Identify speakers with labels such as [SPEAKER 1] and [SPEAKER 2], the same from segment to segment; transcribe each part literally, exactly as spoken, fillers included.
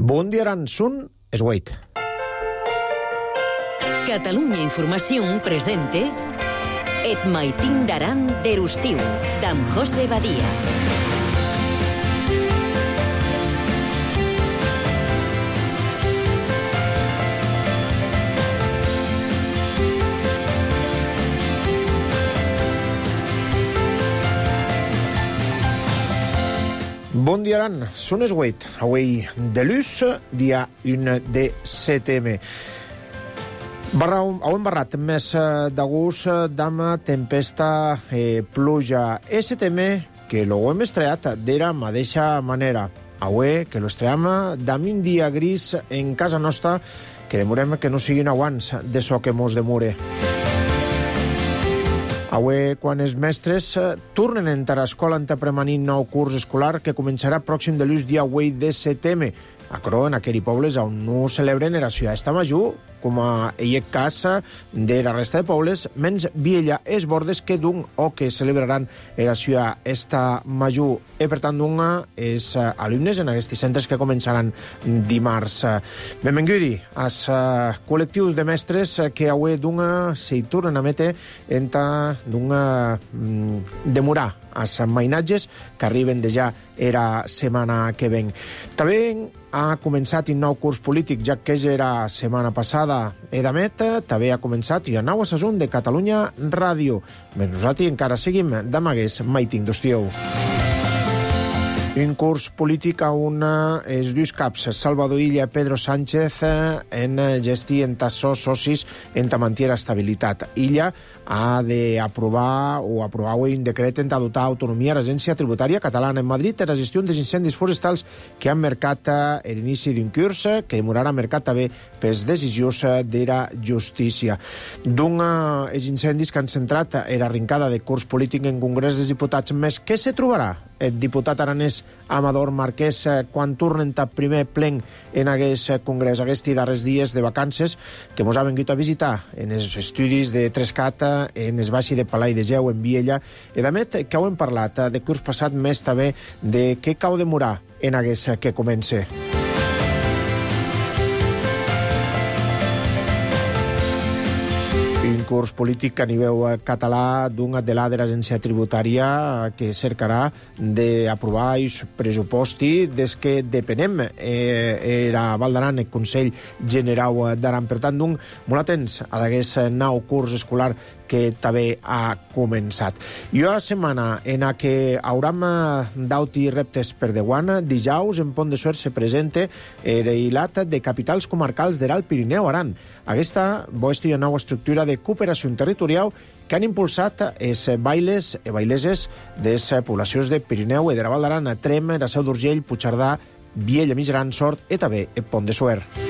[SPEAKER 1] Bon dia, Aran, sun es Wait.
[SPEAKER 2] Catalunya Informació presente Et maitin d'Aran d'Erustiu, d'en José Badia.
[SPEAKER 1] Bon dia, Aran, sun es Wait. Avui de luz, dia un de setembre. Barra, heu embarrat més d'agost d'ama tempesta e pluja. E setembre que lo hem estreat d'era mateixa manera. Avui que lo estream d'am un dia gris en casa nostra que demorem que no siguin aguants de so que mos demore. Avui, quan els mestres tornen a entrar a escola entrepremanint nou curs escolar que començarà pròxim de l'ús dia vuit de setembre. A Cro, en aquells pobles on no celebren era Festa Major, com a ell cas de la resta de pobles, menys Viella es bordes que d'un o que celebraran era Festa Major. I per tant, d'un és alumnes en aquests centres que començaran dimarts. Benvengudi als col·lectius de mestres que avui d'un s'hi tornen a metre entre d'un demorar als mainatges que arriben de ja era setmana que ven. També ha començat un nou curs polític, ja que era setmana passada. Edamet també ha començat i nou assajunt de Catalunya Ràdio. Més nosaltres encara seguim d'amagues maiting d'Ostieu. Un curs polític on els dos caps, Salvador Illa i Pedro Sánchez, en gesti en tassos socis en mantiera estabilitat. Illa ha d'aprovar o aprovar un decret en dotar autonomia a l'Agència Tributària Catalana en Madrid per a la gestió dels incendis forestals que han marcat l'inici d'un curs que demorarà marcat també per les decisions de la justícia. D'un els incendis que han centrat era arrencada de curs polític en Congrés dels Diputats, més què se trobarà el diputat aranès Amador Marquès quan tornen a primer plen en aquest congrés, aquests darrers dies de vacances que mos ha vingut a visitar en els estudis de Trescat, en el baixi de Palai de Geu, en Viella, i també que heu parlat de curs passat més també de què cau demorar en aquest que comence. Un curs polític a nivell català d'un de la de l'agència tributària que cercarà d'aprovar el pressuposti des que depenem eh, era Val d'Aran, el Consell General d'Aran. Per tant, d'un molt atents a aquest nou curs escolar que també ha començat. I una setmana en què hauram d'auti reptes per deguant, dijous en Pont de Suert se presenta el hilat de capitals comarcals de l'Alt Pirineu Aran. Aquesta és una nova estructura de cooperació territorial que han impulsat els bailes i baileses de les poblacions de Pirineu i de la Val d'Aran, Trem, la Seu d'Urgell, Puigcerdà, Viella, Mijaran, Sort i també el Pont de Suert.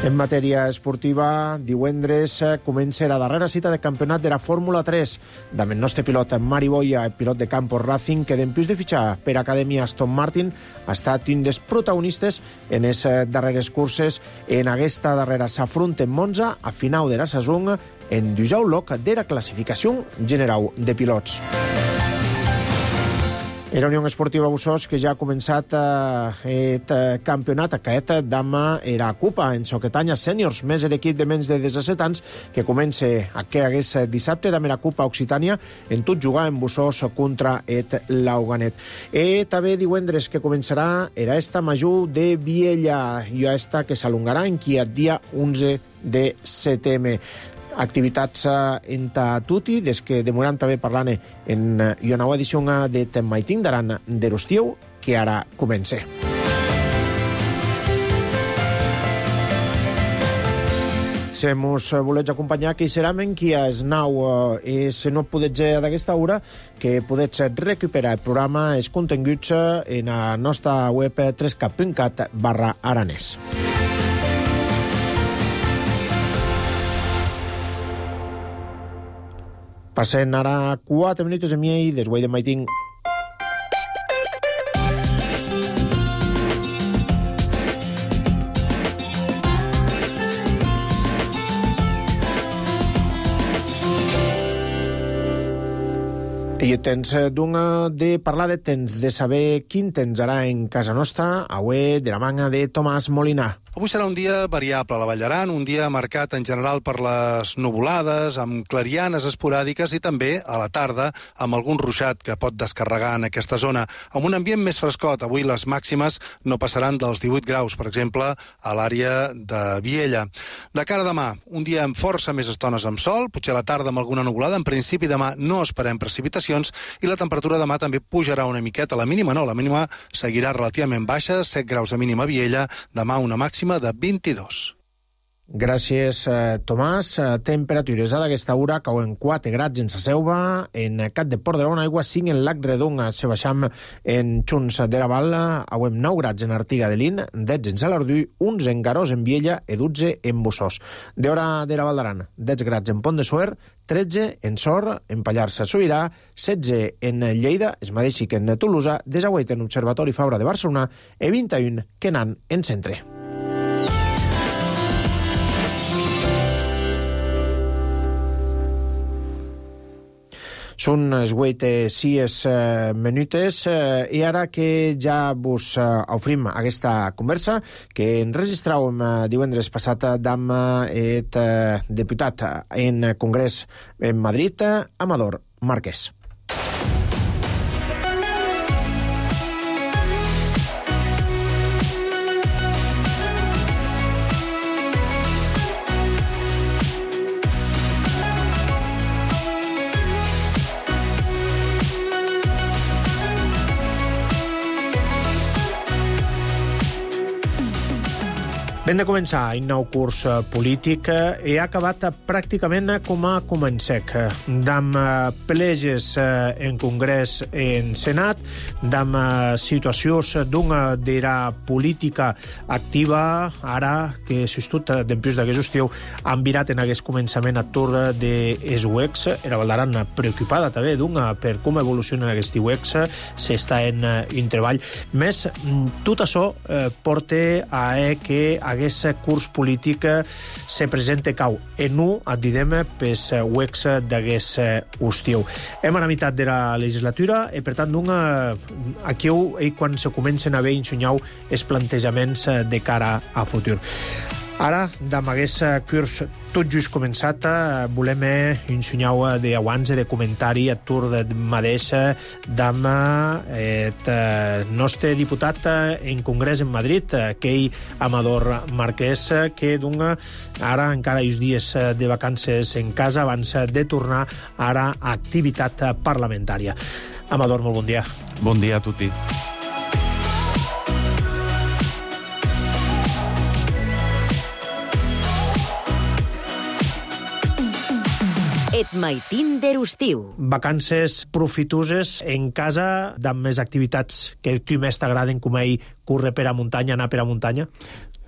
[SPEAKER 1] En matèria esportiva, divendres comença la darrera cita de campionat de la Fórmula tres. Amb el nostre pilot Mari Boya, el pilot de Campos Racing, que d'empius de fitxar per Acadèmia Aston Martin, ha estat un dels protagonistes en les darreres curses. En aquesta darrera s'afronta en Monza a final de la saison en dijous loc de la classificació general de pilots. Era Unió Esportiva Bussos, que ja ha començat el campionat aquest d'ama era Copa en Soquetanya Sèniors, més l'equip de menys de disset anys que comença aquest dissabte d'ama era Copa Occitània en tot jugar en Bussos contra el Lauganet. I també divendres que començarà era esta major de Viella i esta que s'alongarà en qui el dia onze de setembre. Activitats en tutti, des que demorem també parlant en una nova edició de Maitin d'Aran d'Erustiu, que ara comença. Si mos volets acompanyar, que hi serà en qui és nou i si no podets d'aquesta hora, que podets recuperar el programa, els continguts en la nostra web trescat punt cat barra aranès. Passen ara quatre minuts i mig des de Maiting. I tens d'una de parlar de temps, de saber quin temps harà en casa nostra, avui de la manga de Tomàs Molinar.
[SPEAKER 3] Avui serà un dia variable a la Vall d'Aran, un dia marcat en general per les nuvolades, amb clarianes esporàdiques i també a la tarda amb algun ruixat que pot descarregar en aquesta zona. Amb un ambient més frescot, avui les màximes no passaran dels divuit graus, per exemple, a l'àrea de Viella. De cara a demà, un dia amb força més estones amb sol, potser a la tarda amb alguna nuvolada. En principi demà no esperem precipitacions i la temperatura demà també pujarà una miqueta. La mínima no, la mínima seguirà relativament baixa, set graus de mínima a Viella, demà una màxima de vint-i-dos.
[SPEAKER 1] Gràcies, eh, Tomàs. Temperatures a d'aquesta hora cauen quatre grads en sa Selva, en Cat de Port de la Aigua, cinc en Lac Redonga, se baixam en Xuns de la Val, auem nou grads en Artiga de Lin, dotze en Salardú, onze en Garós en Viella i dotze en Bussós. D'hora de la Val d'Aran, dotze grads en Pont de Suert, tretze en Sor, en Pallars Sobirà, setze en Lleida, es mateix que en Tolosa, desauet en Observatori Fabra de Barcelona i vint-i-un que n'han en Centre. Són les vuit sis minutes i ara que ja vos ofrim aquesta conversa que enregistràvem divendres passat amb el diputat en Congrés en Madrid, Amador Márquez. Hem de començar un nou curs polític i ha acabat pràcticament com a comencec, d'amb pleges en Congrés en Senat, d'amb situacions d'una d'era política activa, ara que s'estut dempués d'aquest estiu han virat en aquest començament atur des U E X, era Val d'Aran preocupada també d'una per com evoluciona aquest U E X, s'està en un treball. Més, tot això porta a que aquest curs polític se presenta cau en un, et direm, pels U E X d'aquest estiu. Hem a la meitat de la legislatura i, per tant, aquí és quan se comencen a haver ensenyau els plantejaments de cara a futur. Ara, amb aquest curs tot just començat, volem ensenyar d'abans de comentari a tur de mateix d'amb el nostre diputat en Congrés en Madrid, aquell Amador Márquez, que dona ara encara els dies de vacances en casa abans de tornar ara a activitat parlamentària. Amador, molt bon dia.
[SPEAKER 4] Bon dia a tutti.
[SPEAKER 2] Et maitin d'estiu.
[SPEAKER 1] Vacances profitoses en casa, amb més activitats que a tu més t'agraden, com ell córrer per a muntanya, anar per a muntanya?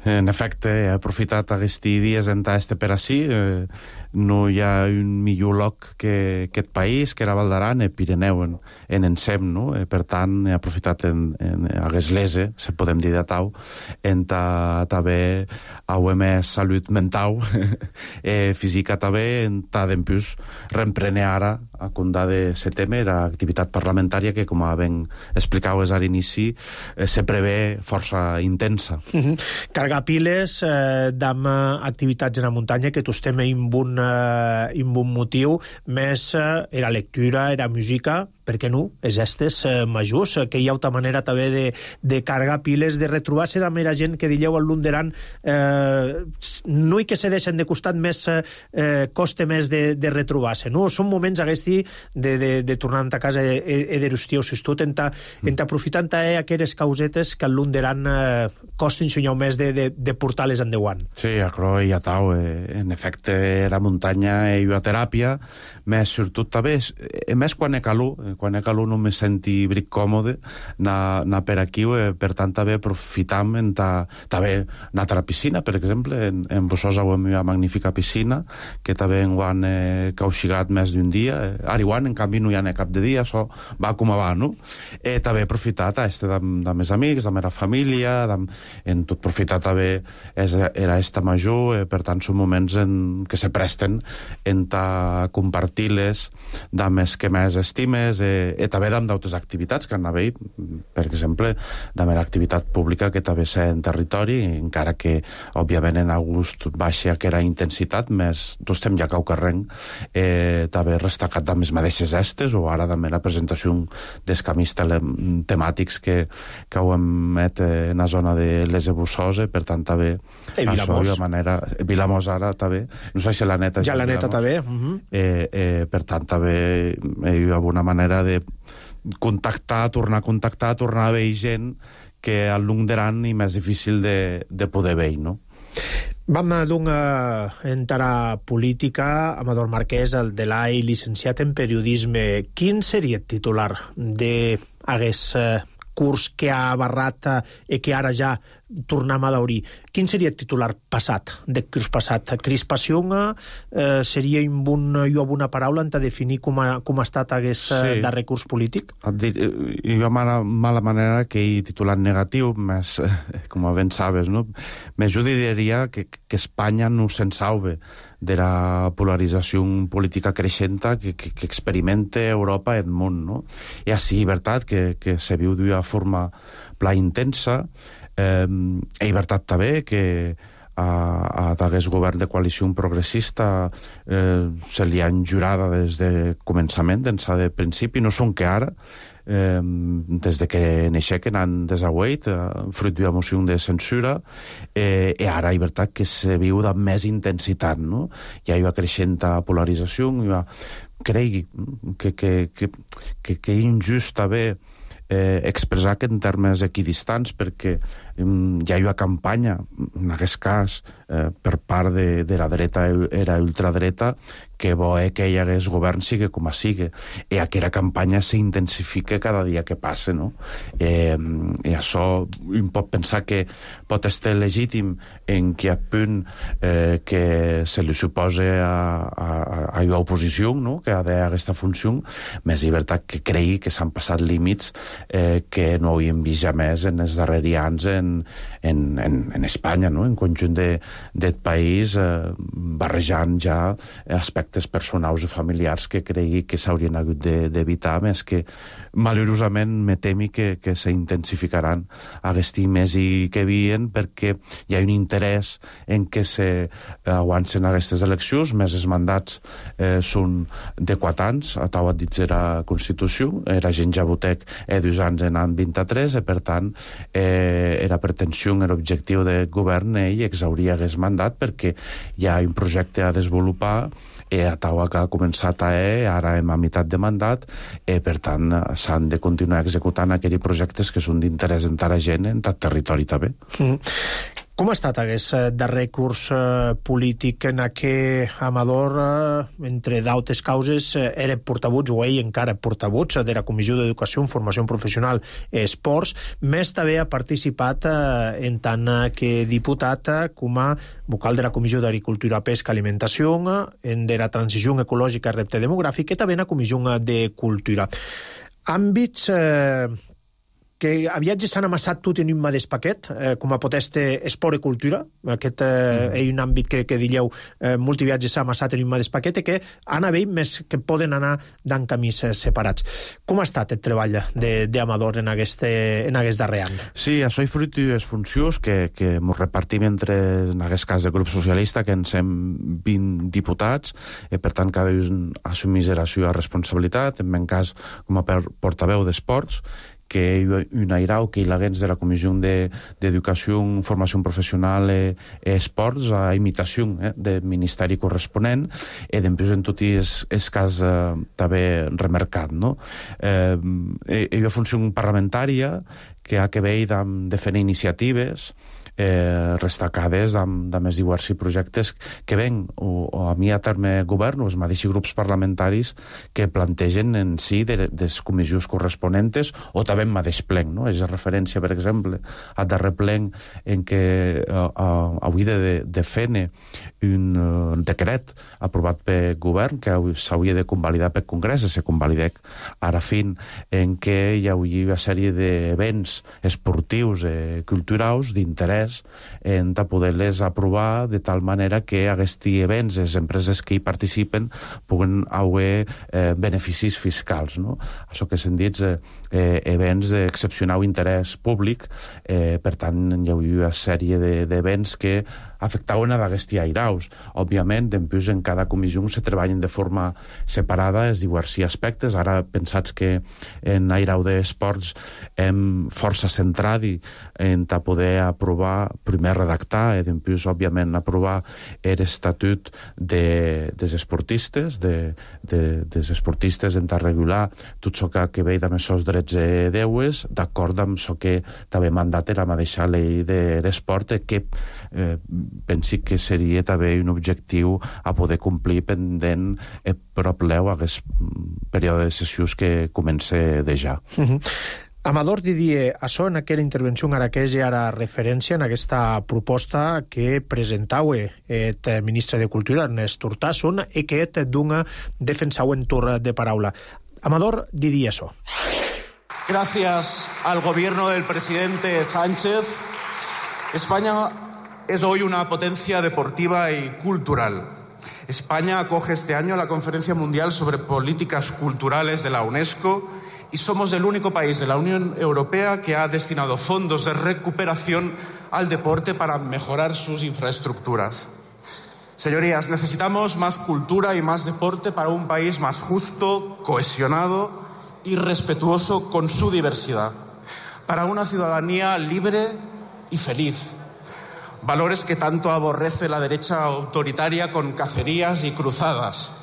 [SPEAKER 4] En efecte, he aprofitat aquests dies en este per ací. Eh, no hi ha un millor lloc que aquest país, que era Val d'Aran, el Pirineu, en, en ensem, no? Eh, per tant, he aprofitat en, en hagués lese, se podem dir de tau, en ta, també hauem més salut mental, eh, física també, en ta d'empús reemprene ara, a condà de setembre, l'activitat parlamentària que, com ben explicaves a l'inici, eh, se prevé força intensa.
[SPEAKER 1] Mm-hmm. Cargar piles eh, d'amb activitats en la muntanya que tu estem en un, eh, en un motiu, més eh, era lectura, era música, per què no? Els gestes eh, majors, que hi ha altra manera també de, de cargar piles, de retrobar-se amb la gent que dieu al Lunderan, eh, no i que se deixen de costat més, eh, costa més de, de retrobar-se, no? Són moments aquests de, de, de tornar a casa i, i d'estiu, si tu tenta, tenta aprofitant eh, aquelles causetes que al Lunderan eh, costa ensenyar més de, de, de portar-les endavant.
[SPEAKER 4] Sí, acro i a tau, eh, en efecte, la muntanya i la teràpia, més sobretot també, eh, més quan he calor, eh, quan he calor no me senti bric còmode anar, anar per aquí, eh, per tant també aprofitam en ta, també anar a la piscina, per exemple, en, en Bossós hi ha una magnífica piscina que també en ho han eh, cauxigat més d'un dia, eh, ara igual, en canvi no hi ha cap de dia, això va com va, no? Eh, també he aprofitat a este amb, amb els amics, amb la família, amb, en tot aprofitat també és, era esta major, eh, per tant són moments en, que se presten en ta compartir-les dames que més estimes, eh, i també d'am d'altres activitats que han haver, per exemple, d'am l'activitat pública que també sé en territori, encara que, òbviament, en august baixa que era intensitat, més tu estem ja cau carreng, eh, també restacat d'am les mateixes estes, o ara també la presentació dels camis temàtics que, que ho emet en la zona de les Ebussosa, per tant també
[SPEAKER 1] I
[SPEAKER 4] això
[SPEAKER 1] Vilamós.
[SPEAKER 4] de manera... Vilamós ara també, no sé si la neta
[SPEAKER 1] Ja la neta també. Uh -huh.
[SPEAKER 4] eh, eh, per tant també hi ha una manera de contactar, tornar a contactar, tornar a veure gent que al lung d'aran i més difícil de, de poder veure, no?
[SPEAKER 1] Vam doncs entrar a política. Amador Marquès, el de l'A I, llicenciat en periodisme. Quin seria el titular d'aguest eh, curs que ha barrat eh, i que ara ja tornem a daurir? Quin seria el titular passat, de curs passat? Crispació eh, seria un bon, jo amb una paraula en definir com ha, com ha estat aquest sí. darrer curs polític?
[SPEAKER 4] Hi ha mala, mala manera que hi titular negatiu, més, com ben sabes, no? Més jo diria que, que Espanya no se'n salve de la polarització política creixenta que, que, que experimenta Europa i el món, no? I així, veritat, que, que se viu d'una forma pla intensa. Eh, hi veritat també que a, a d'aquest govern de coalició progressista eh, se li han jurada des de començament, d'ençà de principi, no són que ara, eh, des de que n'aixequen han desaguait, eh, fruit d'una moció de censura, eh, i ara hi veritat que se viu de més intensitat, no? Hi ha una creixent polarització, hi ha, cregui que, que, que, que, que és injust haver eh, expressar que en termes equidistants, perquè eh, hi ha una campanya, en aquest cas, eh, per part de, de la dreta era ultradreta, que bo és que hi hagués govern sigui com a sigui. I aquella campanya s'intensifica cada dia que passa, no? Eh, I això un pot pensar que pot estar legítim en que a punt eh, que se li suposa a, a, a una oposició, no?, que ha d'aquesta funció, més llibertat que cregui que s'han passat límits eh, que no havíem vist ja més en els darrers anys en, en, en, en Espanya, no?, en conjunt de, del país, eh, barrejant ja aspectes personals i familiars que cregui que s'haurien hagut d'evitar, més que malauradament me temi que, que s'intensificaran aquests més i que havien, perquè hi ha un interès en que se aguancen aquestes eleccions, més els mandats eh, són de quatre anys, a tau dit la Constitució, era gent ja votec eh, dos anys en any vint-i-tres, i per tant eh, era pretensió, era objectiu del govern, ell exhauria aquest mandat perquè hi ha un projecte a desenvolupar i a taua que ha començat a E, ara hem a meitat de mandat, i per tant s'han de continuar executant aquells projectes que són d'interès en la gent, en el territori també.
[SPEAKER 1] Mm. Com ha estat aquest darrer curs eh, polític en què Amador, eh, entre d'altres causes, eh, era portavuts, o ell encara portavuts, de la Comissió d'Educació, Formació Professional i Esports, més també ha participat eh, en tant que diputat eh, com a vocal de la Comissió d'Agricultura, Pesca i Alimentació, en de la Transició Ecològica i Repte Demogràfic, i també en la Comissió de Cultura. Àmbits eh, que aviatges s'han amassat tot en un mateix paquet, eh, com a pot este esport i cultura, aquest eh, mm. és un àmbit que, que diríeu eh, multiviatges s'ha amassat en un mateix paquet i que han haver més que poden anar d'en camins separats. Com ha estat el treball d'Amador en, aquest, en aquest darrer any?
[SPEAKER 4] Sí, això és fruit de les funcions que, que ens repartim entre, en aquest cas, el grup socialista, que en som vint diputats, i per tant cada un assumís la seva responsabilitat, en meu cas com a portaveu d'esports, que un airau que il·laguens de la Comissió d'Educació, Formació Professional i Esports a imitació eh, del Ministeri corresponent, i després en tot és cas eh, també remarcat, no? Eh, hi ha funció parlamentària que ha que veure amb de fer iniciatives eh, restacades amb, amb els diversos projectes que ven o, o a mi a terme govern o els mateixos grups parlamentaris que plantegen en si de les comissions corresponents o també en mateix plen, no? És referència, per exemple, a darrer plen en què uh, uh, hauria de, de fer un uh, decret aprovat pel govern que s'hauria de convalidar pel Congrés i se convalidec ara fin en què hi hauria una sèrie d'events projectes esportius i culturals d'interès en poder-les aprovar de tal manera que aquests events, les empreses que hi participen, puguen haver eh, beneficis fiscals, no? Això que s'han dit eh, eh, events d'excepcional interès públic, eh, per tant, hi havia una sèrie d'events que afectaven a d'aquests airaus. Òbviament, després, en cada comissió se treballen de forma separada els diversos aspectes. Ara, pensats que en airau d'esports hem força centrat en poder aprovar, primer redactar, i després, òbviament, aprovar l'estatut de, dels esportistes, de, de, dels esportistes en regular tot això que, que ve amb els seus drets i deures, d'acord amb això que també mandata la mateixa llei de l'esport, que eh, pensi que seria també un objectiu a poder complir pendent eh, prop leu a aquest període de sessions que comença de ja.
[SPEAKER 1] Uh-huh. Amador Didier, això en aquella intervenció ara que és ara referència en aquesta proposta que presentau el ministre de Cultura, Ernest Urtasun, i que et dona defensau en torn de paraula. Amador Didier, això.
[SPEAKER 5] Gracias al gobierno del presidente Sánchez, España es hoy una potencia deportiva y cultural. España acoge este año la Conferencia Mundial sobre Políticas Culturales de la UNESCO y somos el único país de la Unión Europea que ha destinado fondos de recuperación al deporte para mejorar sus infraestructuras. Señorías, necesitamos más cultura y más deporte para un país más justo, cohesionado y respetuoso con su diversidad, para una ciudadanía libre y feliz. Valores que tanto aborrece la derecha autoritaria con cacerías y cruzadas.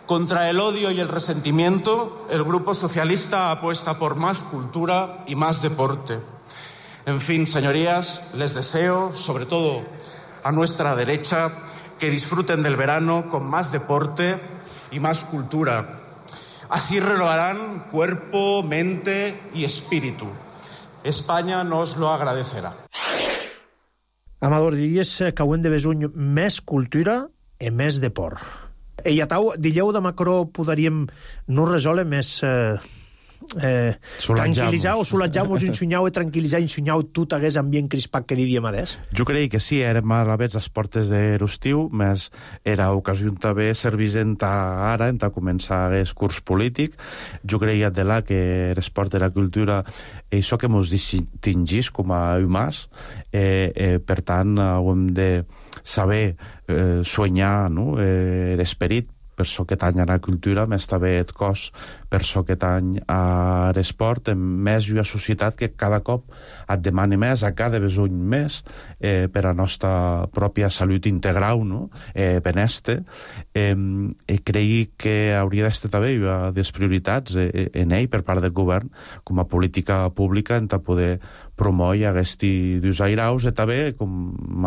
[SPEAKER 5] Contra el odio y el resentimiento, el Grupo Socialista apuesta por más cultura y más deporte. En fin, señorías, les deseo, sobre todo a nuestra derecha, que disfruten del verano con más deporte y más cultura. Así renovarán cuerpo, mente y espíritu. España nos lo agradecerà.
[SPEAKER 1] Amador, diries que ho hem de veure més cultura i més deport. I a tau, dilleu de Macron podríem no resoldre més eh, eh, tranquil·litzar o solatjar-nos un sunyau i tranquil·litzar un sunyau tot aquest ambient crispat que diríem adés?
[SPEAKER 4] Jo crec que sí, érem a la vez les portes de l'estiu, més era ocasió també servir en ara, en començar el curs polític. Jo creia de la que l'esport i la cultura això que ens distingís com a humans, eh, eh, per tant, hem de saber eh, soñar, no? eh, l'esperit, per això que tany a la cultura, més també el cos, per això que tany a l'esport, més una societat que cada cop et demana més, a cada besony més, eh, per a la nostra pròpia salut integral, no? eh, beneste. Eh, eh, creig que hauria d'estar també una de les prioritats eh, en ell, per part del govern, com a política pública, en poder promoure aquests dos airaus, i també, com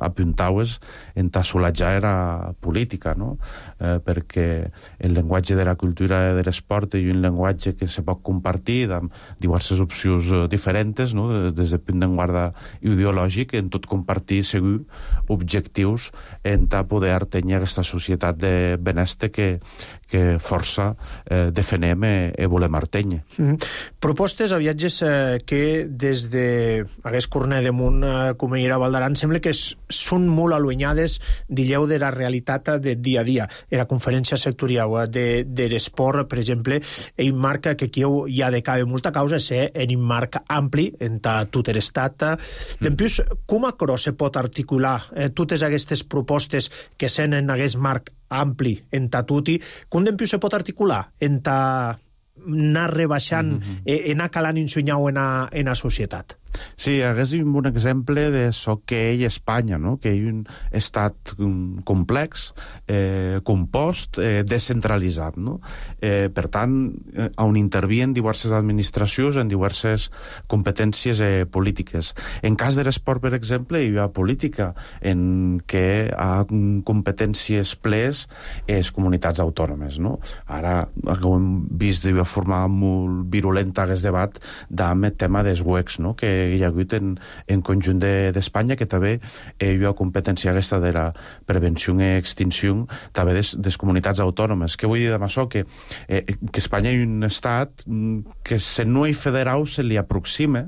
[SPEAKER 4] apuntaves, en solatjar la política, no? Eh, perquè el llenguatge de la cultura i de l'esport és un llenguatge que se pot compartir amb diverses opcions diferents, no? Des del punt de guarda ideològic, en tot compartir segur objectius en poder tenir aquesta societat de benestar que, que força eh, defenem i, i volem artenyer.
[SPEAKER 1] Mm-hmm. Propostes a viatges eh, que des de aquest corner de munt eh, com era Valdaran sembla que són molt allunyades, dilleu, de la realitat de dia a dia. Era conferència sectorial de, de l'esport, per exemple, ell marca que aquí hi ha de cabe molta causa ser en un marc ampli en tot l'estat. Mm. Dempués, com a cros se pot articular eh, totes aquestes propostes que sen en aquest marc ampli en tatuti, com dempués se pot articular en ta anar rebaixant, mm-hmm. eh, anar calant un sunyau en la societat?
[SPEAKER 4] Sí, hagués un exemple de això que ell Espanya, no? Que ell un estat complex, eh, compost, eh, descentralitzat, no? Eh, per tant, eh, on intervien diverses administracions en diverses competències eh, polítiques. En cas de l'esport, per exemple, hi ha política en què ha competències plenes les comunitats autònomes, no? Ara hem vist d'una forma molt virulenta aquest debat amb el tema dels U E Cs, no? Que hi ha hagut en, en conjunt d'Espanya, de, que també eh, hi ha competència aquesta de la prevenció i extinció també des, des comunitats autònomes. Què vull dir amb això? Que, eh, que Espanya hi ha un estat que se no hi federau se li aproxima,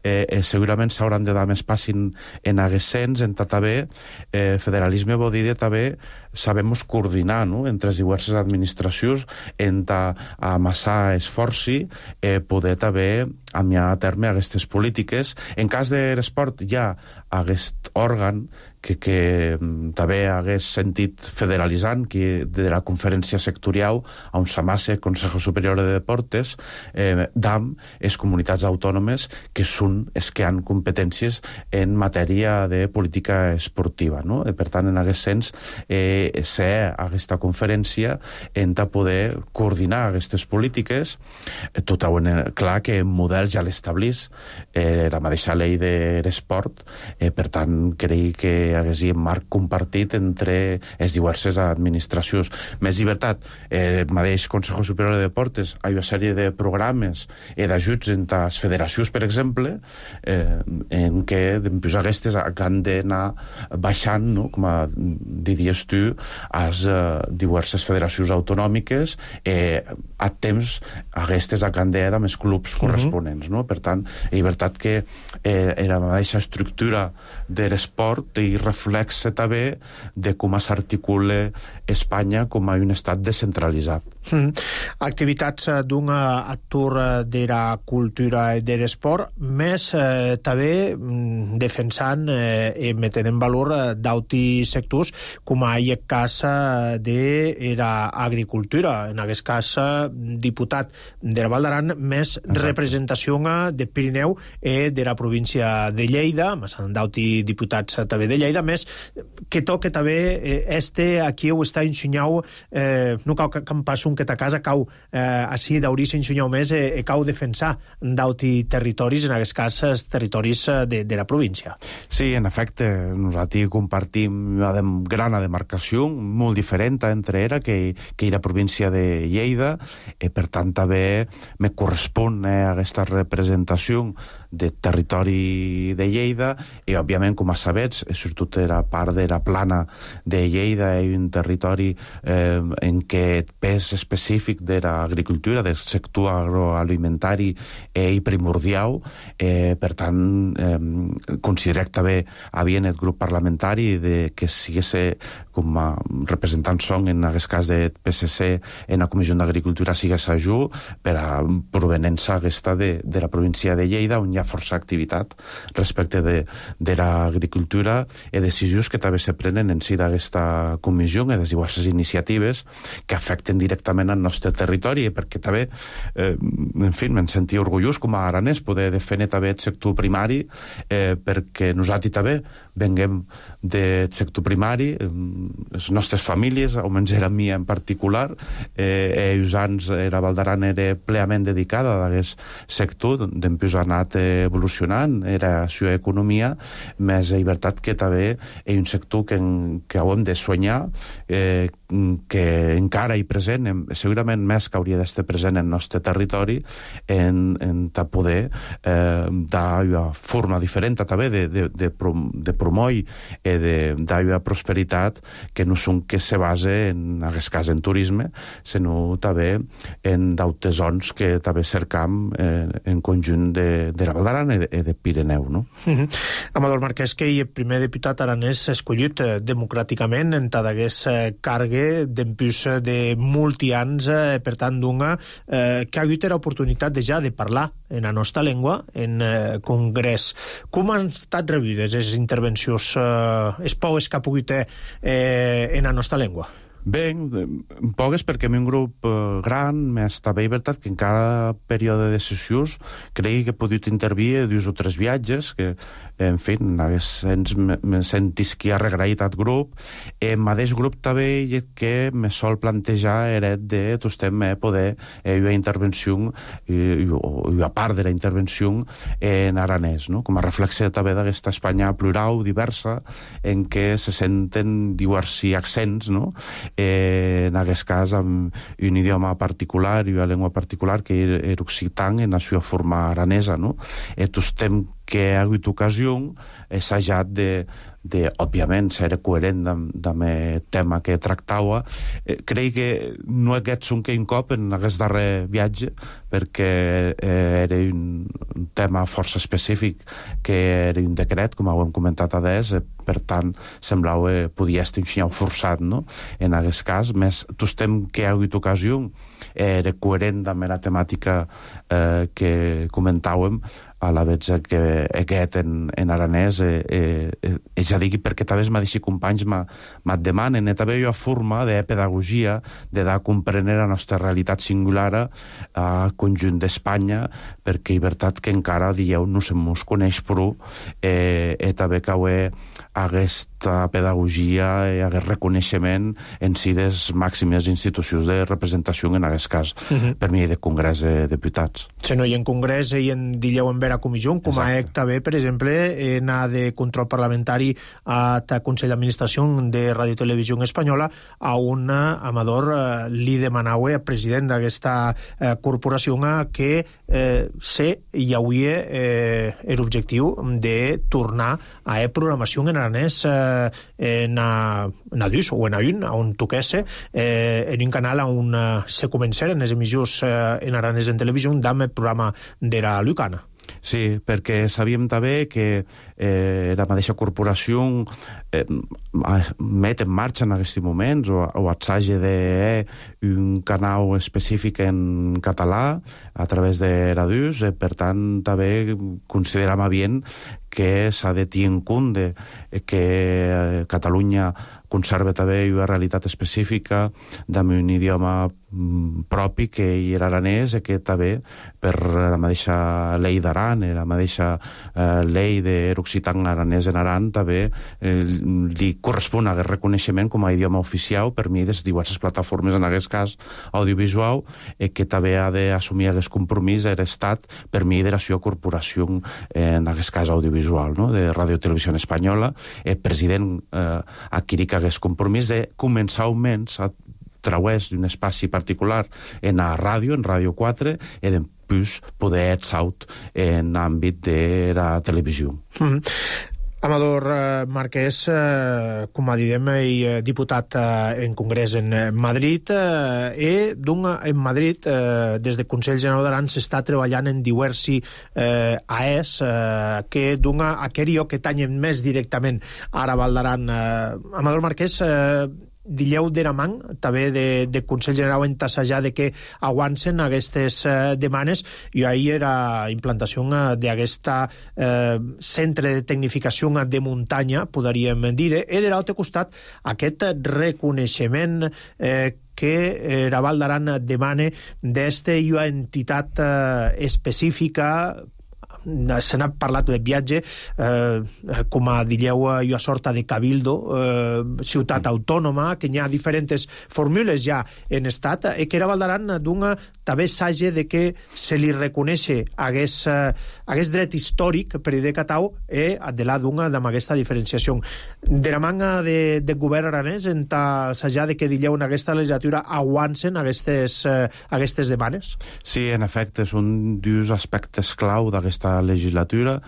[SPEAKER 4] eh, eh, segurament s'hauran de dar més passin en aguest sens, en també eh, federalisme vol dir també sabemos coordinar, no?, entre les diverses administracions, en amassar esforci, eh, poder també amiar a terme aquestes polítiques. En cas de l'esport hi ha aquest òrgan que, que també hagués sentit federalitzant, que de la conferència sectorial on s'amassa Consejo Superior de Deportes, eh, D A M, és comunitats autònomes que són els que han competències en matèria de política esportiva, no? I, per tant, en aquest sens, eh, ser aquesta conferència hem de poder coordinar aquestes polítiques, eh, tot a clar que el model ja l'establís eh, la mateixa llei de l'esport, eh, per tant, crec que hagués un marc compartit entre les diverses administracions. Més llibertat, eh, el mateix Consejo Superior de Deportes, hi ha una sèrie de programes i eh, d'ajuts entre les federacions, per exemple, eh, en què doncs, aquestes han d'anar baixant, no?, com a diries tu, a les eh, diverses federacions autonòmiques, eh, a temps aquestes han d'anar amb els clubs corresponents, no? Per tant, llibertat que eh, la mateixa estructura de l'esport i reflexa també de com s'articula Espanya com a un estat descentralitzat.
[SPEAKER 1] Mm. Activitats d'un actor de la cultura i de l'esport, més eh, també mm, defensant eh, i metent en valor eh, d'altres sectors, com a el cas de l'agricultura. En aquest cas, diputat de la Val d'Aran, més Exacte. Representació de Pirineu i de la província de Lleida, més d'altres diputats també de Lleida, més que toca també eh, este aquí ho està ensenyau, eh, no cau que, que em passi un que ta casa, cau eh, així d'hauria ensenyau més i eh, cau defensar d'altres territoris, en aquest cas els territoris de, de la província.
[SPEAKER 4] Sí, en efecte, nosaltres compartim una gran demarcació, molt diferent entre era que, que la província de Lleida, i per tant també me correspon eh, aquesta representació de territori de Lleida i, òbviament, com a sabets, sobretot era part de la plana de Lleida i un territori eh, en què el pes específic de l'agricultura, del sector agroalimentari és primordial. Eh, per tant, eh, considerem també havia el grup parlamentari de que sigués com a representant son en aquest cas de P S C en la Comissió d'Agricultura sigués ajú per a provenença aquesta de, de la província de Lleida, on hi ha força activitat respecte de, de l'agricultura i decisions que també se prenen en si d'aquesta comissió i de diverses iniciatives que afecten directament al nostre territori, perquè també, eh, en fi, me'n sentia orgullós com a aranès poder defendre també el sector primari, eh, perquè nosaltres també venguem del sector primari, eh, les nostres famílies, almenys era mi en particular, eh, i uns anys la Val d'Aran era plenament dedicada a aquest sector, després ha anat evolucionant, era la seva economia, més llibertat que també és un sector que, que hem de soñar, eh, que encara hi present, segurament més que hauria d'estar present en el nostre territori, en, en poder eh, dar una forma diferent també de, de, de, prom, de promoure i de dar una prosperitat que no són que se base en aquest cas en turisme, sinó també en d'altres zones que també cercam eh, en conjunt de, de la Val d'Aran i de, de Pirineu, no?
[SPEAKER 1] Mm-hmm. Amador Marquès, que el primer diputat aranès escollit eh, democràticament en tot aquest eh, cargue d'empús de multi anys, eh, per tant, d'una eh, que ha hagut l'oportunitat de ja de parlar en la nostra llengua en eh, congrés. Com han estat rebudes les intervencions, eh, els pocs que ha pogut eh, en la nostra llengua?
[SPEAKER 4] Bé, poques perquè en un grup eh, gran, més també veritat que en cada període de sessions crec que he pogut intervir dos o tres viatges, que, en fi, ens me sentis que ha regraït aquest grup. El mateix grup també que me sol plantejar era de tots també poder eh, una intervenció i una part de la intervenció en aranès, no? Com a reflexe també d'aquesta Espanya plural, diversa, en què se senten diversos accents, no? Eh, en aquest cas amb un idioma particular i una llengua particular que era occitan en la seva forma aranesa, no? I tots estem que ha hagut ocasió assajat de, de òbviament, ser coherent amb el tema que tractava. Eh, crec que no hagués un que un cop en aquest darrer viatge, perquè eh, era un, un tema força específic, que era un decret, com ho hem comentat a des, eh, per tant, semblava que podia estar un xinyau forçat, no?, en aquest cas. Més, tostem que ha hagut ocasió, era coherent amb la temàtica eh, que comentàvem, a la vegada que aquest en, en aranès eh, eh, eh, ja digui perquè també els mateixos companys me'n demanen, també hi ha forma de pedagogia, de dar a comprendre la nostra realitat singular al conjunt d'Espanya, perquè és veritat que encara, dieu, no se mos coneix prou, eh, i també que aquesta pedagogia i aquest reconeixement en si des màximes institucions de representació, en aquest cas, uh -huh. per mi de Congrés de Diputats.
[SPEAKER 1] Si no hi ha en Congrés i en dileu en vera comissió, com a E C també, per exemple, en a de control parlamentari a Consell d'Administració de Radio Televisió Espanyola, a un Amador eh, li demanava al president d'aquesta eh, corporació que eh, sé i hauria eh, l'objectiu de tornar a e programació en aranès eh, en a, en a dus o en a un, on toquesse eh, en un canal on eh, se començaren les emissions eh, en aranès en televisió amb el programa de la Lucana.
[SPEAKER 4] Sí, perquè sabíem també que eh, la mateixa corporació eh, met en marxa en aquests moments o, o atsaja de un canal específic en català a través de Radius, eh, per tant també consideram bien que s'ha de tenir en compte que eh, Catalunya conserva també una realitat específica amb un idioma propi que hi era aranès, i que també per la mateixa llei d'Aran, la mateixa eh, llei de l'Occitan aranès en Aran, també eh, li correspon aquest reconeixement com a idioma oficial per mi des de diverses plataformes, en aquest cas audiovisual, eh, que també ha d'assumir aquest compromís a l'Estat per mi de la seva corporació, en aquest cas audiovisual, no?, de Radio Televisió Espanyola. El president eh, adquirit aquest compromís de començar almenys a través d'un espaci particular en la ràdio, en Ràdio quatre, i després poder etsaut en l'àmbit de la televisió.
[SPEAKER 1] Mm-hmm. Amador eh, Marquès, eh, com a diguem, eh, diputat eh, en Congrés en eh, Madrid, eh, i d'un, en Madrid, eh, des del Consell General d'Aran, s'està treballant en diversi eh, A E S eh, que d'un aquell lloc que tanyen més directament ara Val d'Aran. Eh, Amador Marquès, eh, dileu d'Eraman, també de, de Consell General en tassejar de que aguancen aquestes eh, demanes, i ahir era implantació d'aquesta eh, centre de tecnificació de muntanya, podríem dir, i de l'altre costat aquest reconeixement eh, que la Val d'Aran demana d'esta entitat eh, específica. Se n'ha parlat de viatge, eh, com a dileu hi ha sorta de cabildo, eh, ciutat autònoma, que hi ha diferents fórmules ja en estat, i que era Val d'Aran d'un també s'hagi de que se li reconeixi aquest, aquest dret històric per de Catau, i de la d'una amb aquesta diferenciació. De la manga de, de govern aranès, en s'hagi de que dileu en aquesta legislatura aguancen aquestes, eh, aquestes demanes?
[SPEAKER 4] Sí, en efecte, és un dels aspectes clau d'aquesta legislatura.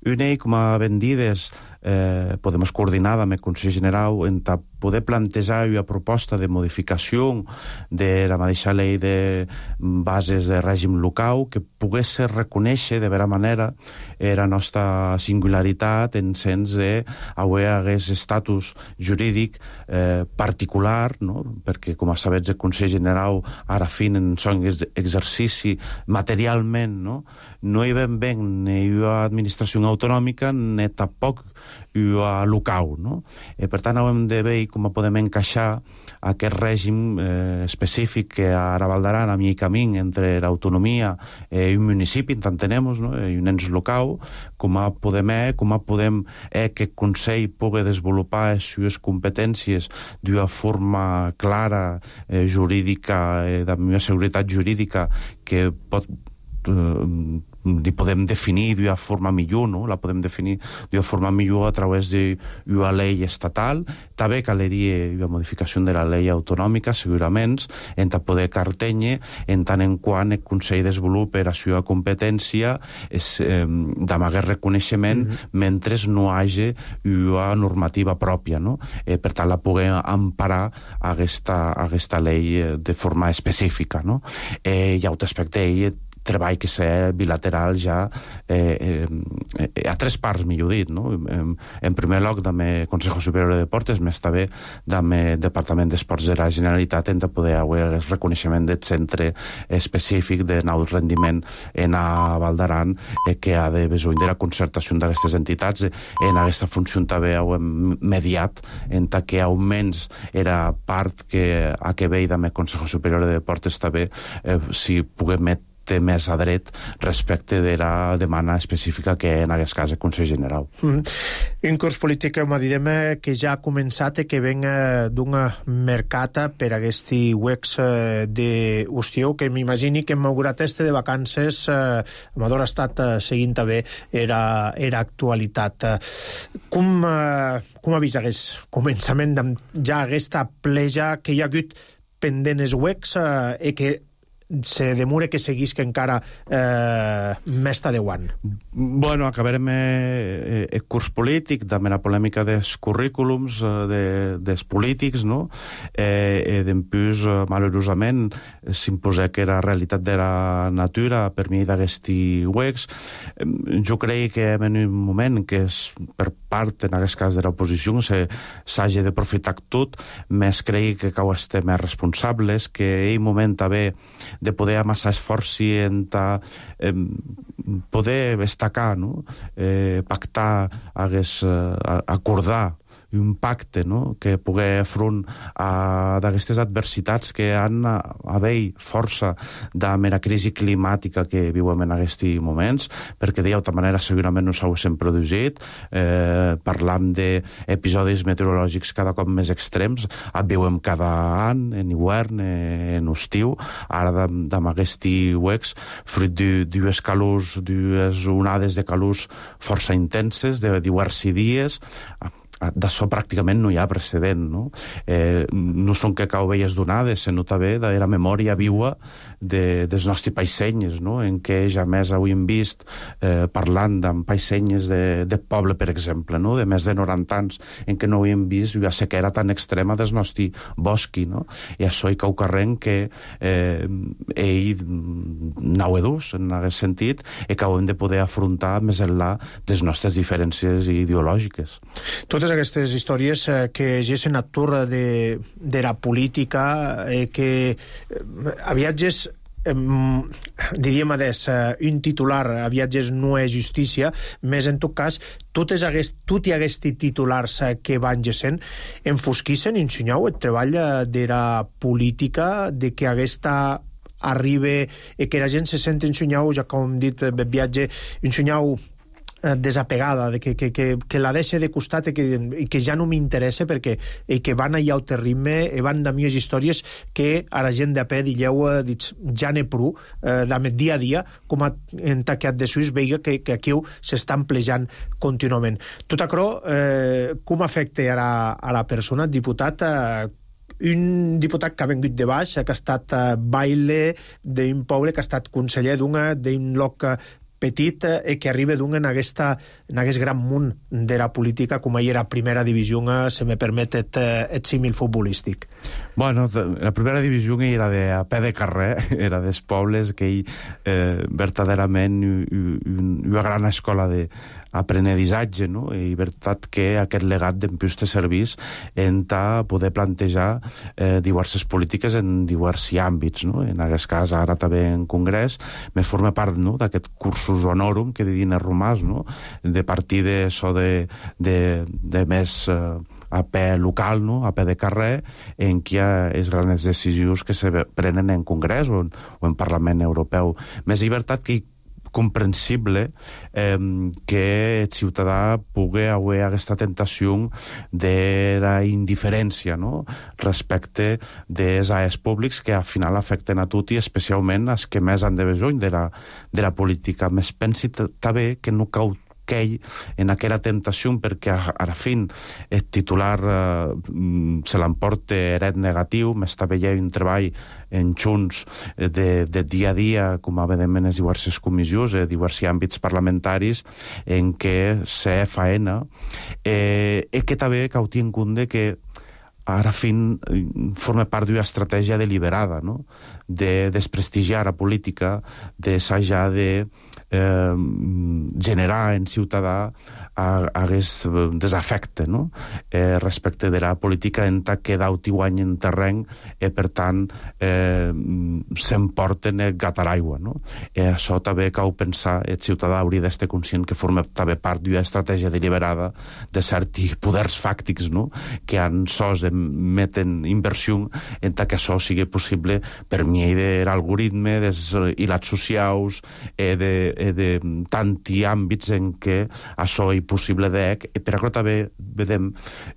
[SPEAKER 4] Una, com a ben dides, eh, podem coordinar amb el Consell General en poder plantejar una proposta de modificació de la mateixa llei de bases de règim local que pogués ser reconèixer de vera manera la nostra singularitat en sens de haver hagués estatus jurídic eh, particular, no?, perquè, com a sabets, el Consell General ara fin en son exercici materialment, no? No hi ben bé ni una administració autonòmica ni tampoc una local, no? I per tant hem de veure com podem encaixar aquest règim eh, específic que ara Val d'Aran, a mi camí entre l'autonomia i un municipi, entenem-nos, no?, i un ens local, com a podem eh, com a podem eh, que el Consell pugui desenvolupar les seves competències d'una forma clara, eh, jurídica, eh, d'una seguretat jurídica que pot li podem definir d'una forma millor, no? La podem definir d'una forma millor a través d'una llei estatal. També caleria una modificació de la llei autonòmica, segurament, en poder cartenye, en tant en quant el Consell desenvolupa la seva competència és, eh, d'amagar reconeixement mm-hmm. mentre no hi hagi una normativa pròpia, no? Eh, per tant, la poder emparar aquesta, aquesta llei de forma específica, no? Eh, hi ha un aspecte ell treball que ser bilateral ja eh, eh, a tres parts, millor dit, no? En, en primer lloc, també Consejo Superior de Deportes, més també també Departament d'Esports de la Generalitat, hem de poder haver el reconeixement del centre específic de naut rendiment en a Val d'Aran, eh, que ha de besoin de la concertació d'aquestes entitats. En aquesta funció també ho hem mediat, en ta que almenys era part que a que veia també Consejo Superior de Deportes també, eh, si puguem met té més a dret respecte de la demanda específica que en aquest cas el Consell General.
[SPEAKER 1] Mm-hmm. Un curs polític, m'ha dit que ja ha començat i que venga d'un mercat per aquest wex d'estiu, que m'imagini que m'augurat este de vacances, eh, Amador ha estat eh, seguint també era, era actualitat. Com, eh, com ha vist aquest començament de, ja aquesta pleja que hi ha hagut pendent els wex eh, i que se demora que seguís que encara eh, més de deu anys.
[SPEAKER 4] Bueno, acabarem eh, el curs polític, també la polèmica dels currículums eh, de, dels polítics, no? Eh, eh, Dempús, eh, malauradament, s'imposa que era realitat de la natura per mi d'aquesti wex. Eh, jo crec que en un moment que és per part, en aquest cas de l'oposició, s'hagi d'aprofitar tot, més crec que cal estar més responsables, que ell moment també de poder amassar esforços en ta, eh, poder destacar, no? eh, pactar, hagués, eh, acordar un pacte, no? Que pugui front a d'aquestes adversitats que han a haver força de la crisi climàtica que viuen en aquests moments, perquè d'altra manera segurament no s'haguessin produït. Eh, parlam d'episodis meteorològics cada cop més extrems, et viuen cada any, en hivern, en estiu, ara amb aquest wex, fruit d'ues calors, d'ues onades de calors força intenses, de diversos dies. D'això pràcticament no hi ha precedent, no? Eh, no són que cau velles donades, sinó també de la memòria viua de, dels nostres païsenyes, no? En què ja més hauríem vist eh, parlant amb païsenyes de, de poble, per exemple, no? De més de noranta anys, en què no hauríem vist una sequera tan extrema dels nostres bosqui, no? I això hi cau carrent que eh, ell n'hau edús, en aquest sentit, i que haurem de poder afrontar més enllà de les nostres diferències ideològiques.
[SPEAKER 1] Totes aquestes històries eh, que gessen a tour de, de la política, eh, que eh, a viatges eh, diríem adés, eh, un titular a viatges no és justícia, més en tot cas totes aquest, tot i aquests titulars eh, que van gessen enfosquissen, ensenyau el treball eh, de la política, de que aquesta arriba i que la gent se sent ensenyau, ja com hem dit, el viatge ensenyau desapegada, de que, que, que, que la deixe de costat i que, i que ja no m'interessa perquè i que van allà al ritme i van de mies històries que a la gent de a peu dilleu ja n'he prou eh, de dia a dia com a, en taquet de Suís veiga que, que aquí s'estan plejant contínuament. Tot això eh, com afecta a la, a la persona, diputat, eh, un diputat que ha vengut de baix, que ha estat eh, baile d'un poble, que ha estat conseller d'una, d'un lloc petit i que arriba d'un en, aquesta, en aquest gran munt de la política com ahir era primera divisió, se me permet et, et símil futbolístic.
[SPEAKER 4] Bueno, la primera divisió era de a peu de carrer, era dels pobles que ell eh, verdaderament una gran escola de aprenedissatge, no? I veritat que aquest legat d'Empús te servís en ta poder plantejar eh, diverses polítiques en diversos àmbits, no? En aquest cas, ara també en Congrés, més forma part, no?, d'aquest cursus honorum que diguin els romans, no?, de partir d'això de, de, de més eh, a peu local, no?, a peu de carrer, en què hi ha les grans decisions que se prenen en Congrés o en, o en Parlament Europeu. Més llibertat que comprensible eh, que el ciutadà pugui haver aquesta tentació de la indiferència, no?, respecte dels aes públics que al final afecten a tot i especialment els que més han de besony de la, de la política. Més pensi també que no cau aquell en aquella temptació perquè a, a la fin el titular eh, se l'emporta eret negatiu, més també hi ha un treball en junts de, de dia a dia, com evidentment les diverses comissions, eh, diversos àmbits parlamentaris en què se faena eh, i que també cau en compte que ara fin forma part d'una estratègia deliberada, no?, de desprestigiar la política, de s'haja de eh, generar en ciutadà hagués desafecte, no?, eh, respecte de la política en tant que d'auti guany en terreny i per tant eh, s'emporten el gat a l'aigua, no? I això també cau pensar, el ciutadà hauria d'estar conscient que forma també part d'una estratègia deliberada de certs poders fàctics, no?, que han sos meten inversió en tant que això sigui possible per mi de l'algoritme, dels hilats socials, eh, de, eh, de tanti àmbits en què això és possible d'ec, i per això també vedem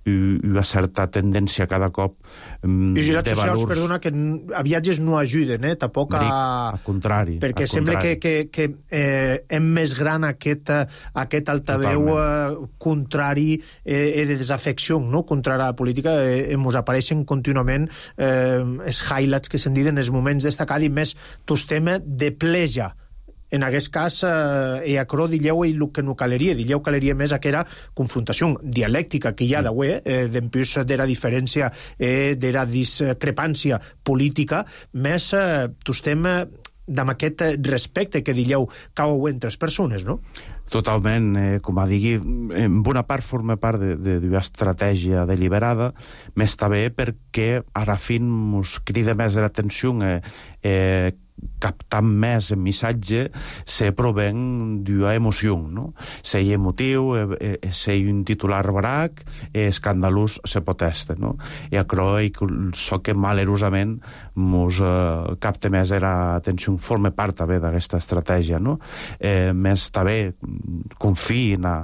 [SPEAKER 4] una certa tendència cada cop um,
[SPEAKER 1] I
[SPEAKER 4] de
[SPEAKER 1] socials,
[SPEAKER 4] valors...
[SPEAKER 1] perdona, que a viatges no ajuden, eh? Tampoc a...
[SPEAKER 4] Dic, al contrari.
[SPEAKER 1] Perquè
[SPEAKER 4] al
[SPEAKER 1] sembla
[SPEAKER 4] contrari.
[SPEAKER 1] que, que, que eh, hem més gran aquest, aquest altaveu eh, contrari eh, de desafecció, no?, contra la política. Eh, ens apareixen contínuament eh, els highlights que se'n diuen els moments destacats i més tos tema de pleja. En aquest cas, eh, acrò dilleu el que no caleria, dilleu caleria més aquella confrontació dialèctica que hi ha d'avui, eh, d'empús de la diferència, eh, de la discrepància política, més eh, tos tema amb aquest respecte que dilleu cau entre les persones, no?
[SPEAKER 4] Totalment, eh, com a digui, en bona part forma part d'una estratègia deliberada, més també perquè ara fin mos crida més l'atenció eh, eh, captant més el missatge se proven d'una emoció, no? Se hi emotiu, eh, eh, se hi un titular barac, eh, escandalós se protesta, no? I acrò so que malerosament mos eh, capta més l'atenció, forma part també d'aquesta estratègia, no? Eh, més també confiï en la,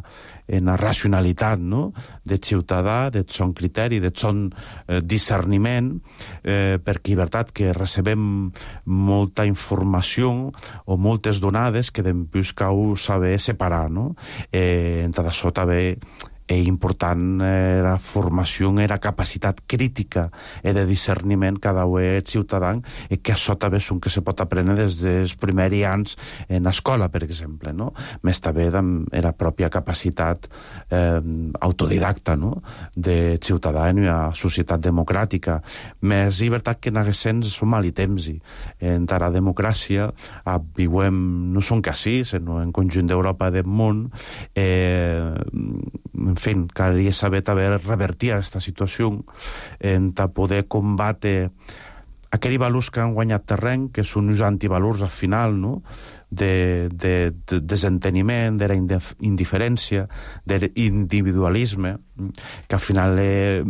[SPEAKER 4] en la racionalitat, no?, del ciutadà, del son criteri, del son eh, discerniment, eh, perquè és veritat que recebem molta informació o moltes donades que després cal saber separar, no? Eh, en tot això també és important eh, la formació i la capacitat crítica i de discerniment cada un ciutadà, i que això també és un que se pot aprendre des dels primers anys en l'escola, per exemple, no? Més també de la pròpia capacitat eh, autodidacta, no?, de ciutadà en una societat democràtica. Més llibertat que en aquest sens som mal i temps. En la democràcia eh, viuem, no som quasi, sinó en conjunt d'Europa del món, eh, en fi, caldria saber també revertir aquesta situació en poder combatre aquells valors que han guanyat terreny, que són uns antivalors al final, no?, de, de, de desenteniment, de la indiferència, de l'individualisme, que al final eh,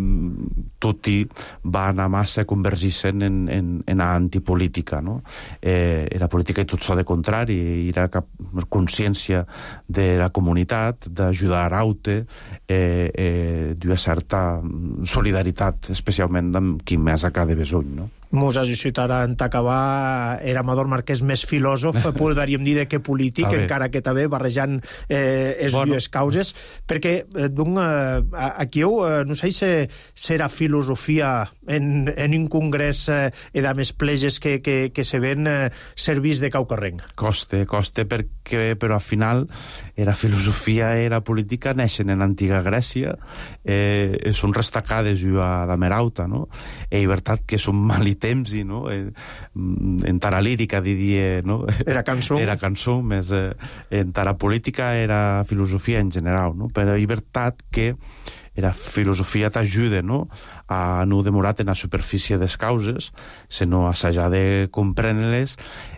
[SPEAKER 4] tot i va anar massa convergir-se en, en, en antipolítica, no? Eh, la política és tot això de contrari, i la consciència de la comunitat, d'ajudar a aute, eh, eh, d'una certa solidaritat, especialment amb qui més a cada besony, no?
[SPEAKER 1] Mos ajudarà en acabar era Amador Marquès més filòsof, podríem dir, que polític, encara que també barrejant eh, les bueno. dues causes, perquè eh, donc, eh, aquí eh, no sé si serà filosofia en, en un congrés eh, de més pleges que, que, que se ven eh, servís de caucarrenc.
[SPEAKER 4] Coste, coste, perquè però al final era filosofia i la política neixen en l'antiga Grècia, eh, són restacades a Damerauta, no? I veritat que són mal temps, no? En tara lírica diria, no?
[SPEAKER 1] Era cançó.
[SPEAKER 4] Era cançó, més eh, en tara política era filosofia en general, no? Però és veritat que la filosofia t'ajuda, no?, a no demorar en la superfície des causes, sinó a s'hajar de comprendre-les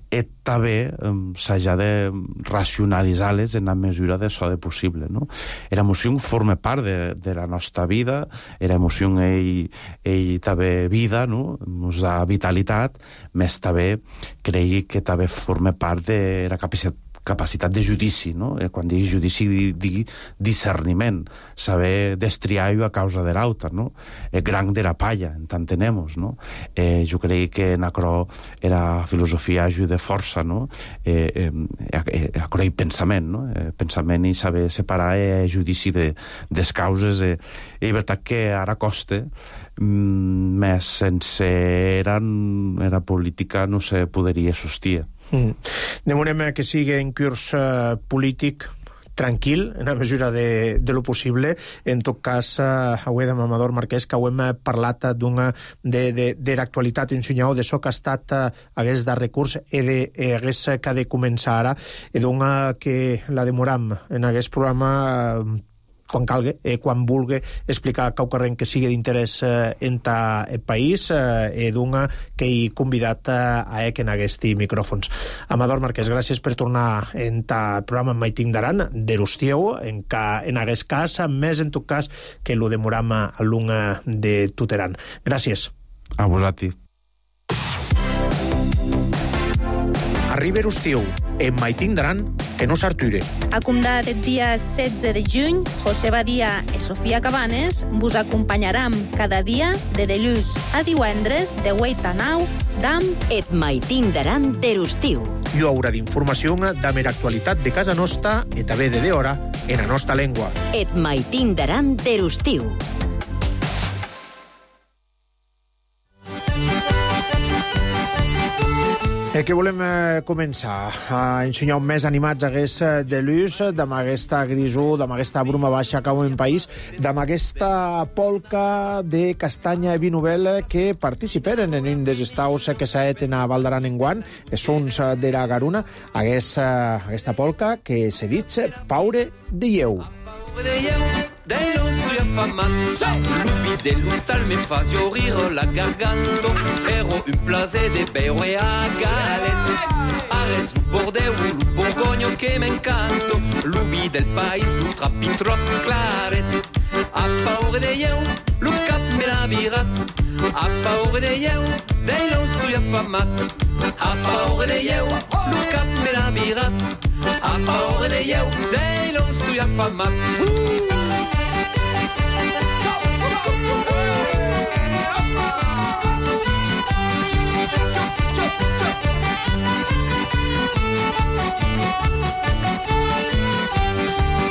[SPEAKER 4] i també um, s'hajar de racionalitzar-les en la mesura de so de possible, no? L'emoció forma part de, de la nostra vida, l'emoció ell, ell també vida, no?, ens da vitalitat, més també cregui que també forma part de la capacitat capacitat de judici, no? Eh, quan digui judici, digui discerniment, saber destriar-ho a causa de l'altre, no? Eh, gran de la palla, en tant tenemos, no? Eh, jo crec que en aquerò era filosofia de força, no? Eh, eh, eh, aquerò i pensament, no? Eh, pensament i saber separar eh, judici de, des causes. Eh, i veritat que ara costa, mm, més sense era, era política no se podria sustir.
[SPEAKER 1] Mm. Demanem que sigui en curs uh, polític tranquil, en la mesura de, de lo possible. En tot cas, uh, avui amb Amador Marquès, que ho hem parlat d'una de, de, de l'actualitat, un senyal de so que ha estat uh, hagués de recurs i de, eh, hagués que ha de començar ara, i d'una que la demoram en aquest programa uh, quan calgui, eh, quan vulgui explicar qualsevol que sigui d'interès eh, en el país, eh, d'una que he convidat eh, a ec en aquests micròfons. Amador Marquès, gràcies per tornar en el programa Mai tinc d'aran, d'Erustieu, en, en aquest cas, més en tot cas que lo demoram a l'una de Tuteran. Gràcies.
[SPEAKER 4] A vosaltres.
[SPEAKER 1] Arriba Erustiu, en Mai tinc d'aran, que no s'arture.
[SPEAKER 6] Acumdat el dia setze de juny, José Badia i Sofia Cabanes vos acompanyaram cada dia de dilluns a divendres de vuit a nou d'am
[SPEAKER 2] Et Mai tinc d'aran d'Erustiu.
[SPEAKER 1] I haurà d'informació de mera actualitat de casa nostra i també de d'hora en la nostra llengua.
[SPEAKER 2] Et Mai tinc d'aran d'Erustiu.
[SPEAKER 1] Eh, que volem eh, començar a ensenyar més animats hagués de l'ús, d'amb aquesta grisó, d'amb aquesta bruma baixa que en país, d'amb aquesta polca de castanya i vi novel que participeren en un dels estaus que s'ha fet a Val d'Aran enguant, són de la Garuna, hagués, aquesta polca que se dit Paure de Lleu.
[SPEAKER 7] Dai non soy affamato, lupi dell'ustal mi fa fiorire la garganta. Ero un placer de bere a galette. Ares lu bordeu, lu borgogno che m'incanto. Lupi del país, lu trappi troppo claret. A paure de eu, lu cap me la virat. A paure de eu, dai non soy affamato. A paure de eu, lu cap me la virat. A paure de eu, dai non soy affamato. Uh!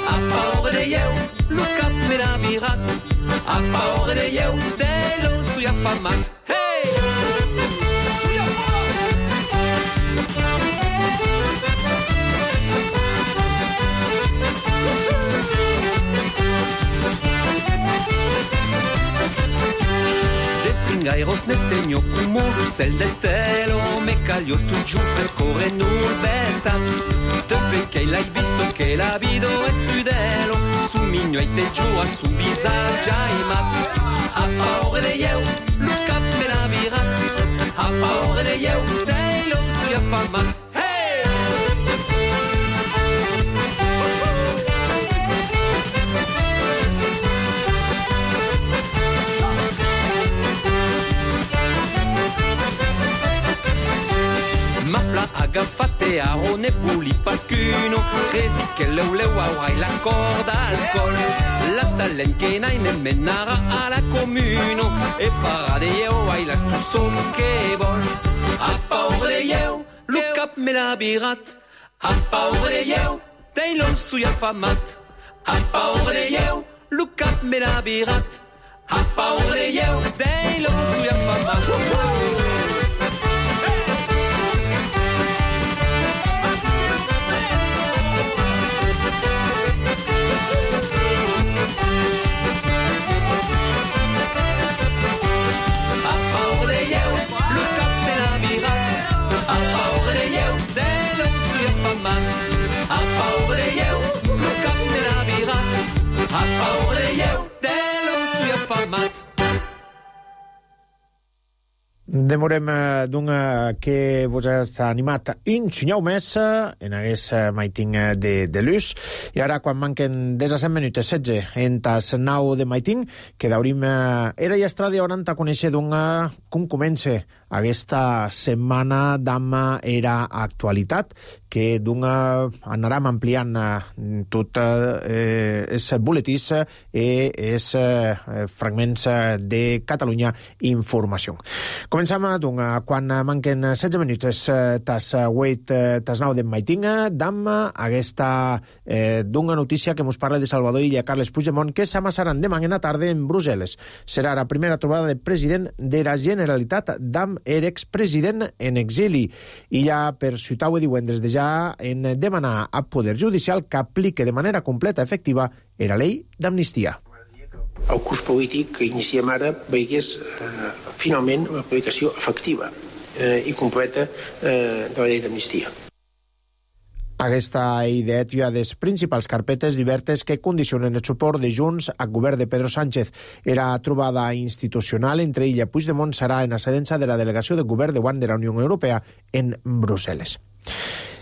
[SPEAKER 7] A paure de eu, lu cap me la virat. A paure de eu, de lo soy affamat. Hey! Soy affamat! De fringairos ne tegno come l'uccel d'estelo. Me caglio tu giù frescore nul bentat. Te perché l'hai visto che la vido è scudelo. Su migno e te giù a su visaggia i mat. A paure de eu, lu cap me la virat. A paure de eu, te lo soy affamat. Hey! Mapla agafate a rone puli pascuno. Resi che leu leu aurai la corda al col. La talent che nai ne menara alla comuno. E farà de eu ai la stusso che vol. A paure de eu, lu cap me la birat. A paure de eu, dei lon sui affamat. A paure de eu, lu cap me la birat. A paure de eu, dei lon sui affamat. A paure de eu, de lo soy affamat.
[SPEAKER 1] Demorem d'un que vos ha animat inxinyau més en aquest maiting de, de l'ús. I ara, quan manquen disset minuts, setze, en tas nau de maiting, que daurim era i estrada hauran a conèixer d'un com comença aquesta setmana d'ama era actualitat, que d'un anarem ampliant tot eh, els buletins i els eh, fragments de Catalunya Informació. Comencem doncs, quan manquen setze minuts tas vuit, tas nou de maiting, d'am aquesta eh, d'una notícia que ens parla de Salvador Illa Carles Puigdemont, que s'amassaran demà en la tarda en Brussel·les. Serà la primera trobada de president de la Generalitat d'am er expresident en exili. I ja per ciutar-ho divendres de ja en demanar al Poder Judicial que aplique de manera completa efectiva la llei d'amnistia.
[SPEAKER 8] El curs polític que iniciem ara veigués eh, finalment l'aplicació efectiva eh, i completa eh, de la llei d'amnistia.
[SPEAKER 1] Aquesta idea és una de les principals carpetes diverses que condicionen el suport de Junts al govern de Pedro Sánchez. Era trobada institucional entre ella i Puigdemont serà en ascendença de la delegació de govern de de la Unió Europea en Brussel·les.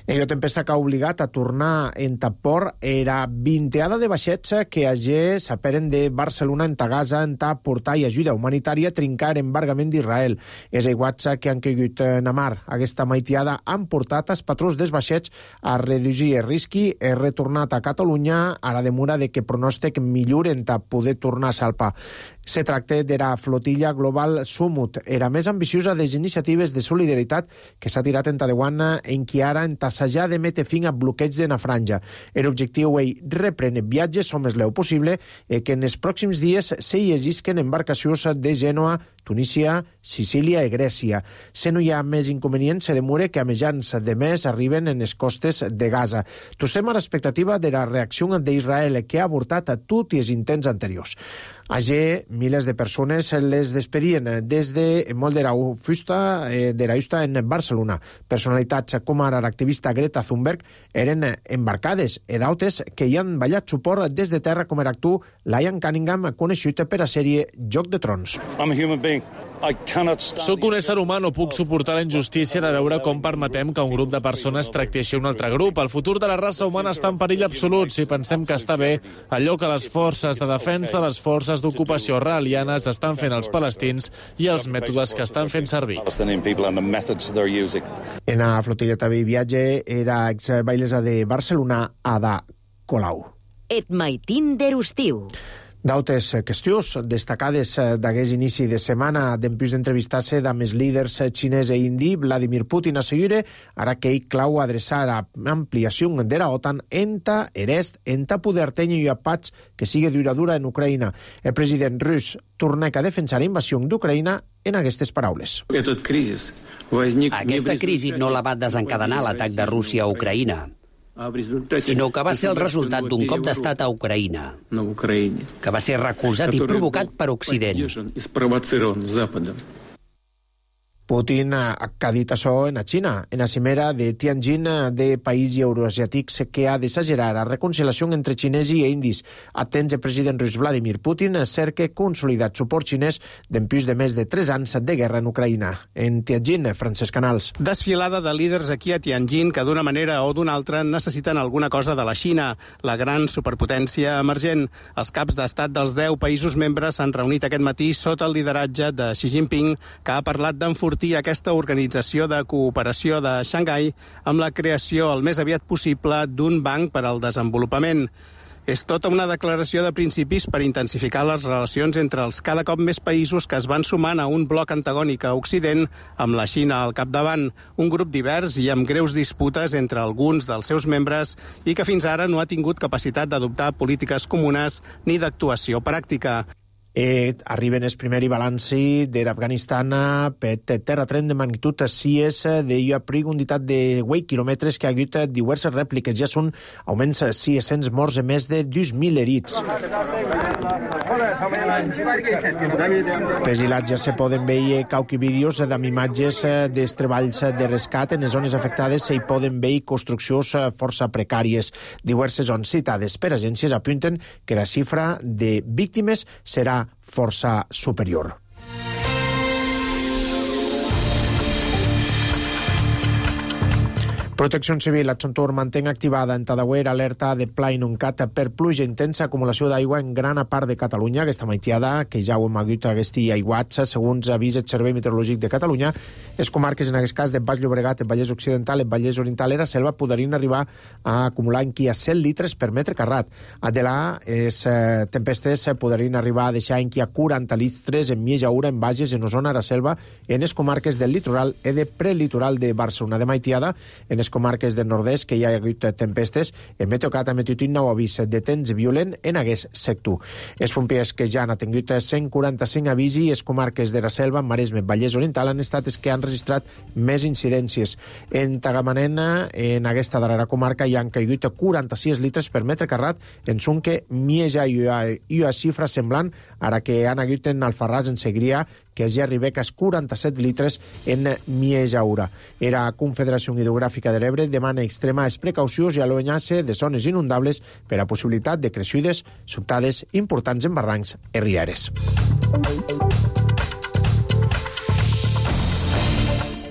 [SPEAKER 1] Ello tempesta que ha obligat a tornar en Tapor era vinteada de vaixets que allí s'aperen de Barcelona en Gaza en ta portar ajuda humanitària a trincar embargament d'Israel. És iguals que han caigut en mar. Aquesta maitiada han portat els patrons dels vaixets a reduir el risc i retornat a Catalunya a la demora de que pronòstic milloren ta poder tornar a salpar. Se tracta de la flotilla global Sumut. Era més ambiciosa de les iniciatives de solidaritat que s'ha tirat en Taiwan en qui ara en tassejar de metre fin a bloqueig de la franja. L'objectiu és reprendre viatges o més leu possible i que en els pròxims dies se llegisquen embarcacions de Gènova, Tunísia, Sicília i Grècia. Se no hi ha més inconvenients, se demora que a mitjans de mes arriben en les costes de Gaza. Tostem a l'expectativa de la reacció d'Israel, que ha avortat a tots els intents anteriors. Allí, milers de persones les despedien des de molt de la fusta de la justa en Barcelona. Personalitats com ara l'activista Greta Thunberg eren embarcades i d'altres que hi han ballat suport des de terra, com era tu, Liam Cunningham, conegut per la sèrie Joc de Trons.
[SPEAKER 9] I'm a human being. Soc un ésser humà, no puc suportar la injustícia de veure com permetem que un grup de persones tracti així un altre grup. El futur de la raça humana està en perill absolut si pensem que està bé allò que les forces de defensa de les forces d'ocupació israelianes estan fent als palestins i els mètodes que estan fent servir.
[SPEAKER 1] En la flotilla també viatge era exbailesa de Barcelona, Ada Colau.
[SPEAKER 2] Et maitín d'Erustiu.
[SPEAKER 1] D'altres qüestions destacades d'aquest inici de setmana d'empús d'entrevistar-se amb els líders xinès i indi, Vladimir Putin assegura ara que ell clau adreçar a ampliació de la OTAN enta est, enta poder tenir i paz que sigui duradura en Ucraïna. El president rus torna a defensar la invasió d'Ucraïna en aquestes paraules.
[SPEAKER 10] Aquesta crisi no la va desencadenar l'atac de Rússia a Ucraïna, sinó que va ser el resultat d'un cop d'estat a Ucraïna, que va ser recolzat i provocat per Occident.
[SPEAKER 1] Putin ha dit això en la Xina, en la cimera de Tianjin de països euroasiàtics que ha d'exagerar la reconciliació entre xinesos i indis. Atents el president rus Vladimir Putin cerca consolidat suport xinès d'empús de més de tres anys de guerra en Ucraïna. En Tianjin, Francesc Canals.
[SPEAKER 11] Desfilada de líders aquí a Tianjin que d'una manera o d'una altra necessiten alguna cosa de la Xina, la gran superpotència emergent. Els caps d'estat dels deu països membres s'han reunit aquest matí sota el lideratge de Xi Jinping, que ha parlat d'enfortir aquesta organització de cooperació de Xangai amb la creació el més aviat possible d'un banc per al desenvolupament. És tota una declaració de principis per intensificar les relacions entre els cada cop més països que es van sumant a un bloc antagònic a Occident, amb la Xina al capdavant, un grup divers i amb greus disputes entre alguns dels seus membres i que fins ara no ha tingut capacitat d'adoptar polítiques comunes ni d'actuació pràctica.
[SPEAKER 1] Eh, arriben el primer balanci de l'Afganistan per terratrèmol de magnitud sis de profunditat de vuit quilòmetres que ha hagut diverses rèpliques. Ja són augments sis cents morts i més de dos mil herits. Vigilats ja se poden veure cauqui vídeos amb imatges dels treballs de rescat. En les zones afectades s'hi poden veure construccions força precàries. Diverses zones citades per agències apunten que la xifra de víctimes serà força superior. Protecció Civil a Xontur mantén activada en Tadauer alerta de pla inuncat per pluja intensa, acumulació d'aigua en gran part de Catalunya. Aquesta maitiada, que ja ho hem hagut aquests aiguats, segons avisa el Servei Meteorològic de Catalunya, les comarques, en aquest cas, de Baix Llobregat, el Vallès Occidental, el Vallès Oriental i la Selva, podrien arribar a acumular en qui a cent litres per metre carrat. A de la, les eh, tempestes podrien arribar a deixar en qui a quaranta litres en Mieja Ura, en Bages, en Osona, a la Selva, en les comarques del litoral i de prelitoral de Barcelona. De maitiada, en les comarques del nord-est, que hi ha hagut tempestes, en Meteocat ha emetit un nou avís de temps violent en aquest sector. Els pompiers que ja han tingut cent quaranta-cinc avís i les comarques de la Selva, Maresme, Vallès Oriental, han estat els que han registrat més incidències. En Tagamanent, en aquesta darrera comarca, hi han caigut quaranta-sis litres per metre carrat, en Sunque, Mieja i una xifra semblant, ara que han hagut en Alfarràs, en Segrià, que ja arriba a quaranta-set litres en Mieja Ura. Era Confederació Hidrogràfica de l'Ebre demana extremes precaucions i allunyar-se de zones inundables per a possibilitat de creixudes sobtades importants en barrancs i rieres.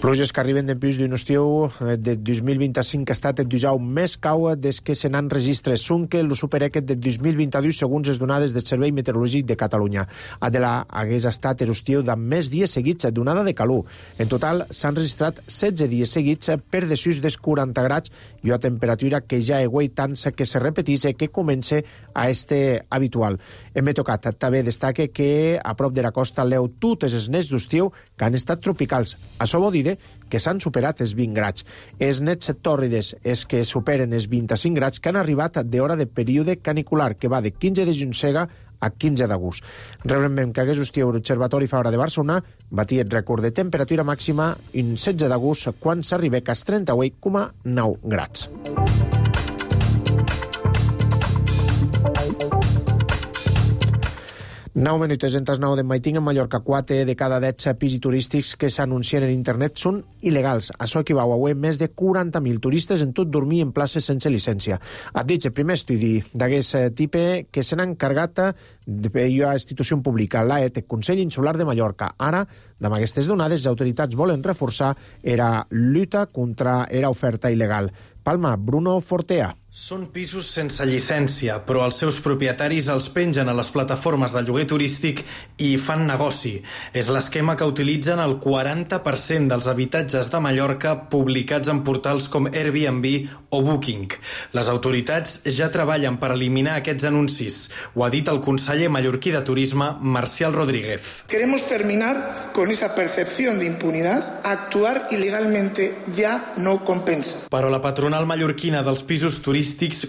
[SPEAKER 1] Pluges que arriben després d'un estiu de dos mil vint-i-cinc que ha estat el dijous més cau des que se n'han registres. Sunque lo supera aquest de dos mil vint-i-dos segons les donades del Servei Meteorològic de Catalunya. Adela hagués estat l'estiu de més dies seguits d'onada de calor. En total s'han registrat setze dies seguits per desús dels quaranta graus i una temperatura que ja aigua tant que se repetís i que comença a este habitual. En Meteocat també destaca que a prop de la costa leu totes les nets d'estiu que han estat tropicals. Això vol dir que s'han superat els vint graus. Els nets tòrrides és que superen els vint-i-cinc graus que han arribat d'hora de període canicular, que va de quinze de juny cega a quinze d'agost. Recordem que aquest estiu l'Observatori Fabra de Barcelona batia el rècord de temperatura màxima en setze d'agost quan s'arriba a trenta-vuit coma nou graus. nou minuts en tas nou de Maiting en Mallorca. Quatre de cada deu pisos turístics que s'anuncien en internet són il·legals. Això equival a avui més de quaranta mil turistes en tot dormir en places sense llicència. Ha dit el primer estudi d'aquest tipus que se n'ha encarregat una institució pública, l'A E T, Consell Insular de Mallorca. Ara, amb aquestes donades, les autoritats volen reforçar la lluita contra l'oferta il·legal. Palma, Bruno Fortea.
[SPEAKER 12] Són pisos sense llicència, però els seus propietaris els pengen a les plataformes de lloguer turístic i fan negoci. És l'esquema que utilitzen el quaranta per cent dels habitatges de Mallorca publicats en portals com Airbnb o Booking. Les autoritats ja treballen per eliminar aquests anuncis. Ho ha dit el conseller mallorquí de Turisme, Marcial Rodríguez.
[SPEAKER 13] Queremos terminar con esa percepción de impunidad. Actuar ilegalmente ya no compensa.
[SPEAKER 12] Però la patronal mallorquina dels pisos turístics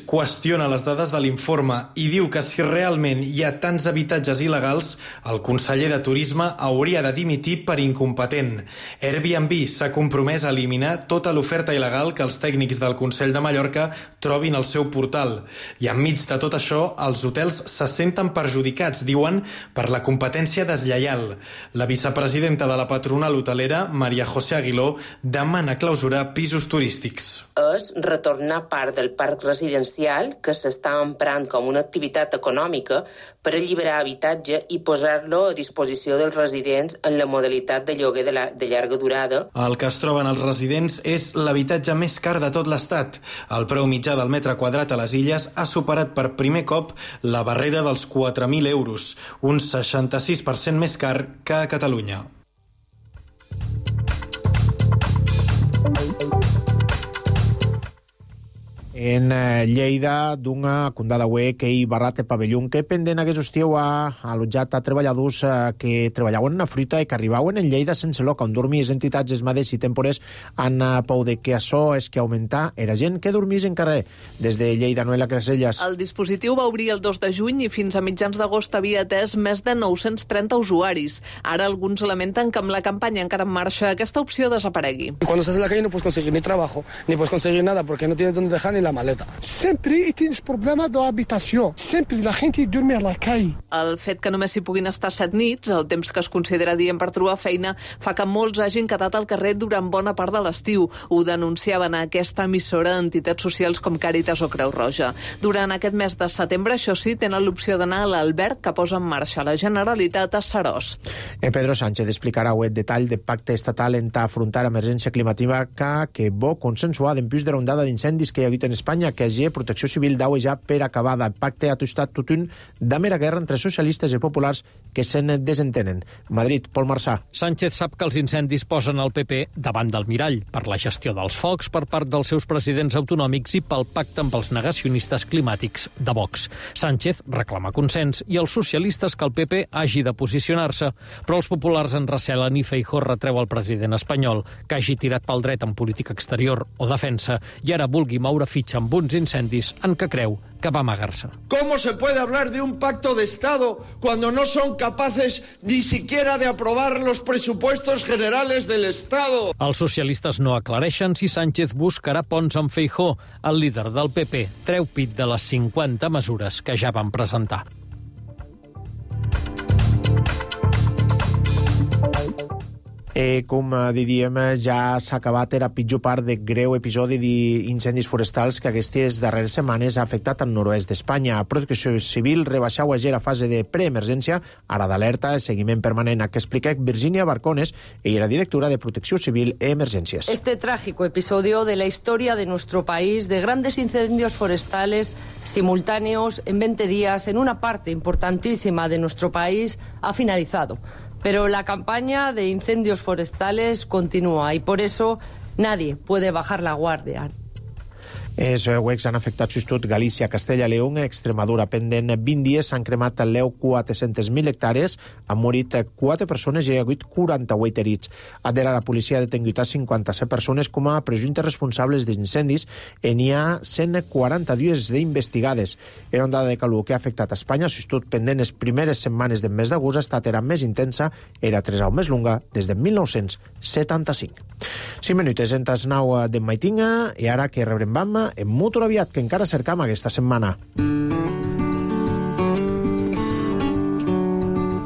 [SPEAKER 12] qüestiona les dades de l'informe i diu que si realment hi ha tants habitatges il·legals, el conseller de Turisme hauria de dimitir per incompetent. Airbnb s'ha compromès a eliminar tota l'oferta il·legal que els tècnics del Consell de Mallorca trobin al seu portal. I enmig de tot això, els hotels se senten perjudicats, diuen, per la competència deslleial. La vicepresidenta de la patronal hotelera, Maria José Aguiló, demana clausurar pisos turístics.
[SPEAKER 14] És retornar part del parc residencial que s'està emprant com una activitat econòmica per alliberar habitatge i posar-lo a disposició dels residents en la modalitat de lloguer de, la, de llarga durada.
[SPEAKER 12] El que es troben els residents és l'habitatge més car de tot l'estat. El preu mitjà del metre quadrat a les Illes ha superat per primer cop la barrera dels quatre mil euros, un seixanta-sis per cent més car que a Catalunya.
[SPEAKER 1] En Lleida, d'una condada web que hi barrat el pavelló que pendent aquest estiu ha allotjat a treballadors que treballaven en la fruita i que arribaven en Lleida sense lloc on dormir. Les entitats esmades i tempores han pou de que això és que augmentar era gent que dormís en carrer. Des de Lleida, Noela Caselles.
[SPEAKER 15] El dispositiu va obrir el dos de juny i fins a mitjans d'agost havia atès més de nou-cents trenta usuaris. Ara alguns lamenten que amb la campanya encara en marxa aquesta opció desaparegui.
[SPEAKER 16] Cuando estás en la calle no puedes conseguir ni trabajo, ni puedes conseguir nada porque no tienes dónde dejar ni la maleta. Sempre tens problemes d'habitació. Sempre la gent dorme a la calle.
[SPEAKER 15] El fet que només s'hi puguin estar set nits, el temps que es considera dient per trobar feina, fa que molts hagin quedat al carrer durant bona part de l'estiu. Ho denunciaven a aquesta emissora entitats socials com Càritas o Creu Roja. Durant aquest mes de setembre, això sí, tenen l'opció d'anar a l'alberg que posa en marxa la Generalitat a Seròs.
[SPEAKER 1] Eh, Pedro Sánchez explicarà el detall del pacte estatal en afrontar emergència climàtica que bo consensuar en plus de l'ondada d'incendis que hi ha hagut en Espanya, que hagi protecció civil d'au ja per acabada. El pacte ha tostat tot un de mera guerra entre socialistes i populars que se'n desentenen. Madrid, Pol Marsà.
[SPEAKER 17] Sánchez sap que els incendis posen el P P davant del mirall per la gestió dels focs per part dels seus presidents autonòmics i pel pacte amb els negacionistes climàtics de Vox. Sánchez reclama consens i els socialistes que el P P hagi de posicionar-se, però els populars en recelen i Feijóo retreu al president espanyol que hagi tirat pel dret en política exterior o defensa i ara vulgui moure fitxa amb uns incendis en què creu que va amagar-se.
[SPEAKER 18] ¿Cómo se puede hablar de un pacto de Estado cuando no son capaces ni siquiera de aprobar los presupuestos generales del Estado?
[SPEAKER 17] Els socialistes no aclareixen si Sánchez buscarà ponts amb Feijóo. El líder del P P treu pit de les cinquanta mesures que ja van presentar.
[SPEAKER 1] Eh, com diríem, ja s'ha acabat la pitjor part de greu episodi d'incendis forestals que aquestes darreres setmanes ha afectat el nord-oest d'Espanya. Protecció Civil rebaixau ayer a fase de preemergència, ara d'alerta, seguiment permanent, que explica Virginia Barcones, ella era directora de Protecció Civil e Emergencias.
[SPEAKER 19] Este trágico episodio de la historia de nuestro país, de grandes incendios forestales simultáneos en veinte días en una parte importantísima de nuestro país, ha finalizado. Pero la campaña de incendios forestales continúa y por eso nadie puede bajar la guardia.
[SPEAKER 1] Els huecs han afectat sobretot Galícia, Castella, León, Extremadura. Pendent vint dies s'han cremat al Leu quatre-centes mil hectàrees, han morit quatre persones i hi ha hagut quaranta-vuit herits. Adela, la policia ha detingut a cinquanta-set persones com a presumptes responsables d'incendis i n'hi ha cent quaranta-dos d'investigades. Era ondada de calor que ha afectat a Espanya, sobretot pendent les primeres setmanes del mes d'agost, ha estat era més intensa, era tres au més longa des de mil nou-cents setanta-cinc. Cinc minutes entes nou de Maitinga i ara que rebrem bam en Motor Aviat, que encara cercam aquesta setmana.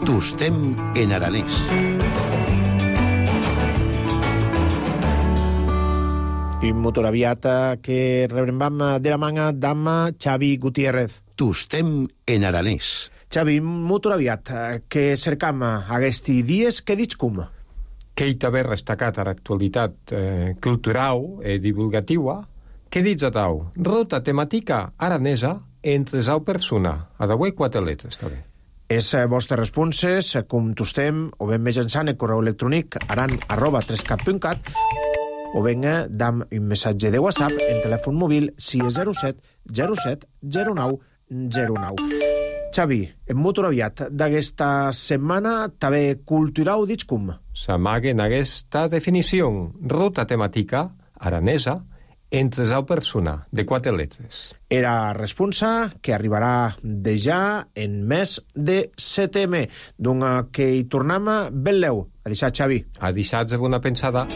[SPEAKER 20] Tostem en aranès.
[SPEAKER 1] I Motor Aviat que rebrem bam de la manga d'am Xavi Gutiérrez.
[SPEAKER 20] Tostem en aranès.
[SPEAKER 1] Xavi, Motor Aviat, que cercam aquests dies, què dius com?
[SPEAKER 21] Que hi també destacat a l'actualitat eh, cultural i divulgativa. Què dius a tau? Ruta temàtica aranesa entre zau persona. A d'avui quatre letres, també.
[SPEAKER 1] És vostres responses, com tostem, o ben mitjançant el correu electrònic aran arroba trescat punt cat o ben dam un missatge de WhatsApp en telèfon mòbil sis zero set zero set zero nou zero nou. Xavi, en Motor Aviat d'aquesta setmana també cultural dic com?
[SPEAKER 21] S'amaga en aquesta definició. Ruta temàtica aranesa entre zau persona, de quatre letres.
[SPEAKER 1] Era responsa que arribarà de ja en mes de setembre. Donc que hi tornem ben leu. A deixar, Xavi.
[SPEAKER 21] A deixar-se bona pensada.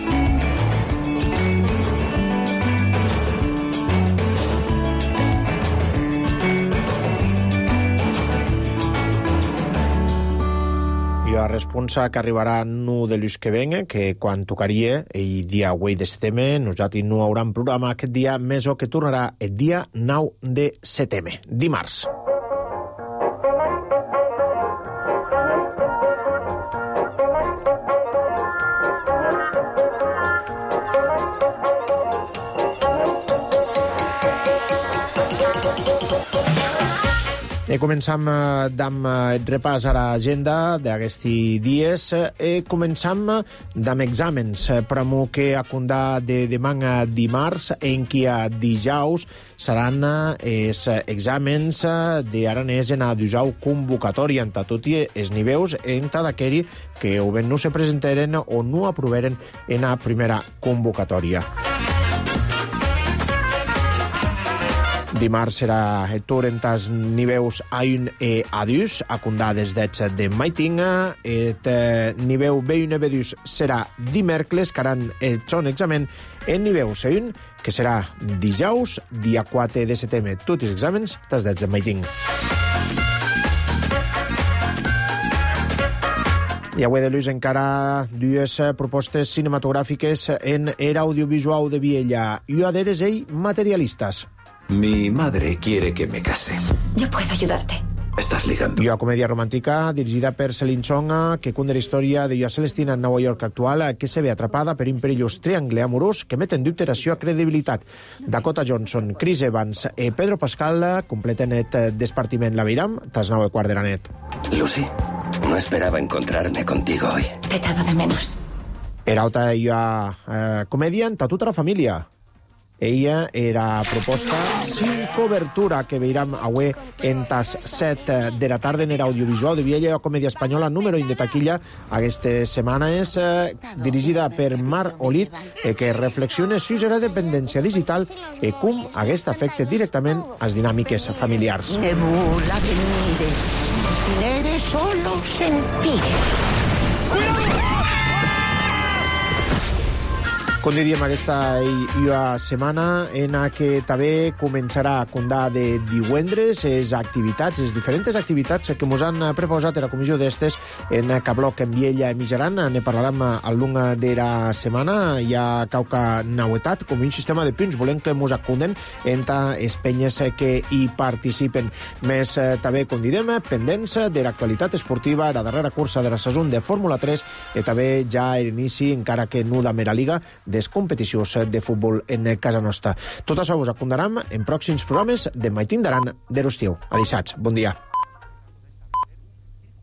[SPEAKER 1] La responsa que arribarà no de l'ús que venga, que quan tocaria el dia vuit de setembre, nosaltres no hauran programa aquest dia, més o que tornarà el dia nou de setembre, dimarts. E començam amb el repàs a l'agenda d'aquests dies. E començam amb exàmens. Pramo que a condar de demà dimarts, en qui a dijous seran els exàmens d'aranès en a dijous convocatòria, en tot i els nivells en d'aquells que o bé no se presentaren o no aproveren en la primera convocatòria. Dimarts serà el torn en tas niveus A un e A dos, a condades d'ets de Maitinga. El niveu B un e B dos serà dimèrcles, que aran el son examen en niveu C un, que serà dijous, dia quatre de setembre. Tots els exàmens, tas d'ets de Maitinga. I avui de l'ús encara dues propostes cinematogràfiques en era audiovisual de Viella. I aderes ell materialistes.
[SPEAKER 3] Mi madre quiere que me case.
[SPEAKER 22] Yo puedo ayudarte.
[SPEAKER 3] Estás ligando.
[SPEAKER 1] Una comèdia romàntica dirigida per Celine Song, que conta la història de Joa Celestina en Nova York actual, que se ve atrapada per un perillós triangle amorós que met en dubte la seva credibilitat. Dakota Johnson, Chris Evans i Pedro Pascal completen el despartiment. La veiram, tas nou i quart de la nit.
[SPEAKER 3] Lucy, no esperaba encontrarme contigo hoy.
[SPEAKER 22] Te he echado de menos.
[SPEAKER 1] Era otra ella eh, comèdia en tota la família. Ella era proposta sin cobertura, que veiram avui en tas set de la tarda en era audiovisual de Viella, comèdia espanyola número un de taquilla aquesta setmana. És eh, dirigida per Marc Olit, eh, que reflexiona sobre la dependència digital i com aquest afecta directament les dinàmiques familiars.
[SPEAKER 22] Nebula venire, nere solo sentire.
[SPEAKER 1] Com diríem, aquesta ua setmana en què també començarà a condar de divendres les activitats, les diferents activitats que ens han preposat a la comissió d'estes en Cabloc, en Viella i Mijaran. Ne parlarem al long de la setmana. Hi ha cauca nauetat, com un sistema de punts. Volem que ens acunden entre les penyes que hi participen. Més també, com direm, pendents de l'actualitat esportiva, la darrera cursa de la saison de Fórmula tres i també ja l'inici, encara que no de mera liga, des competicions de futbol en casa nostra. Tot això us acondarem en pròxims programes de Maitín d'Aran de l'estiu. Adéixats, bon dia.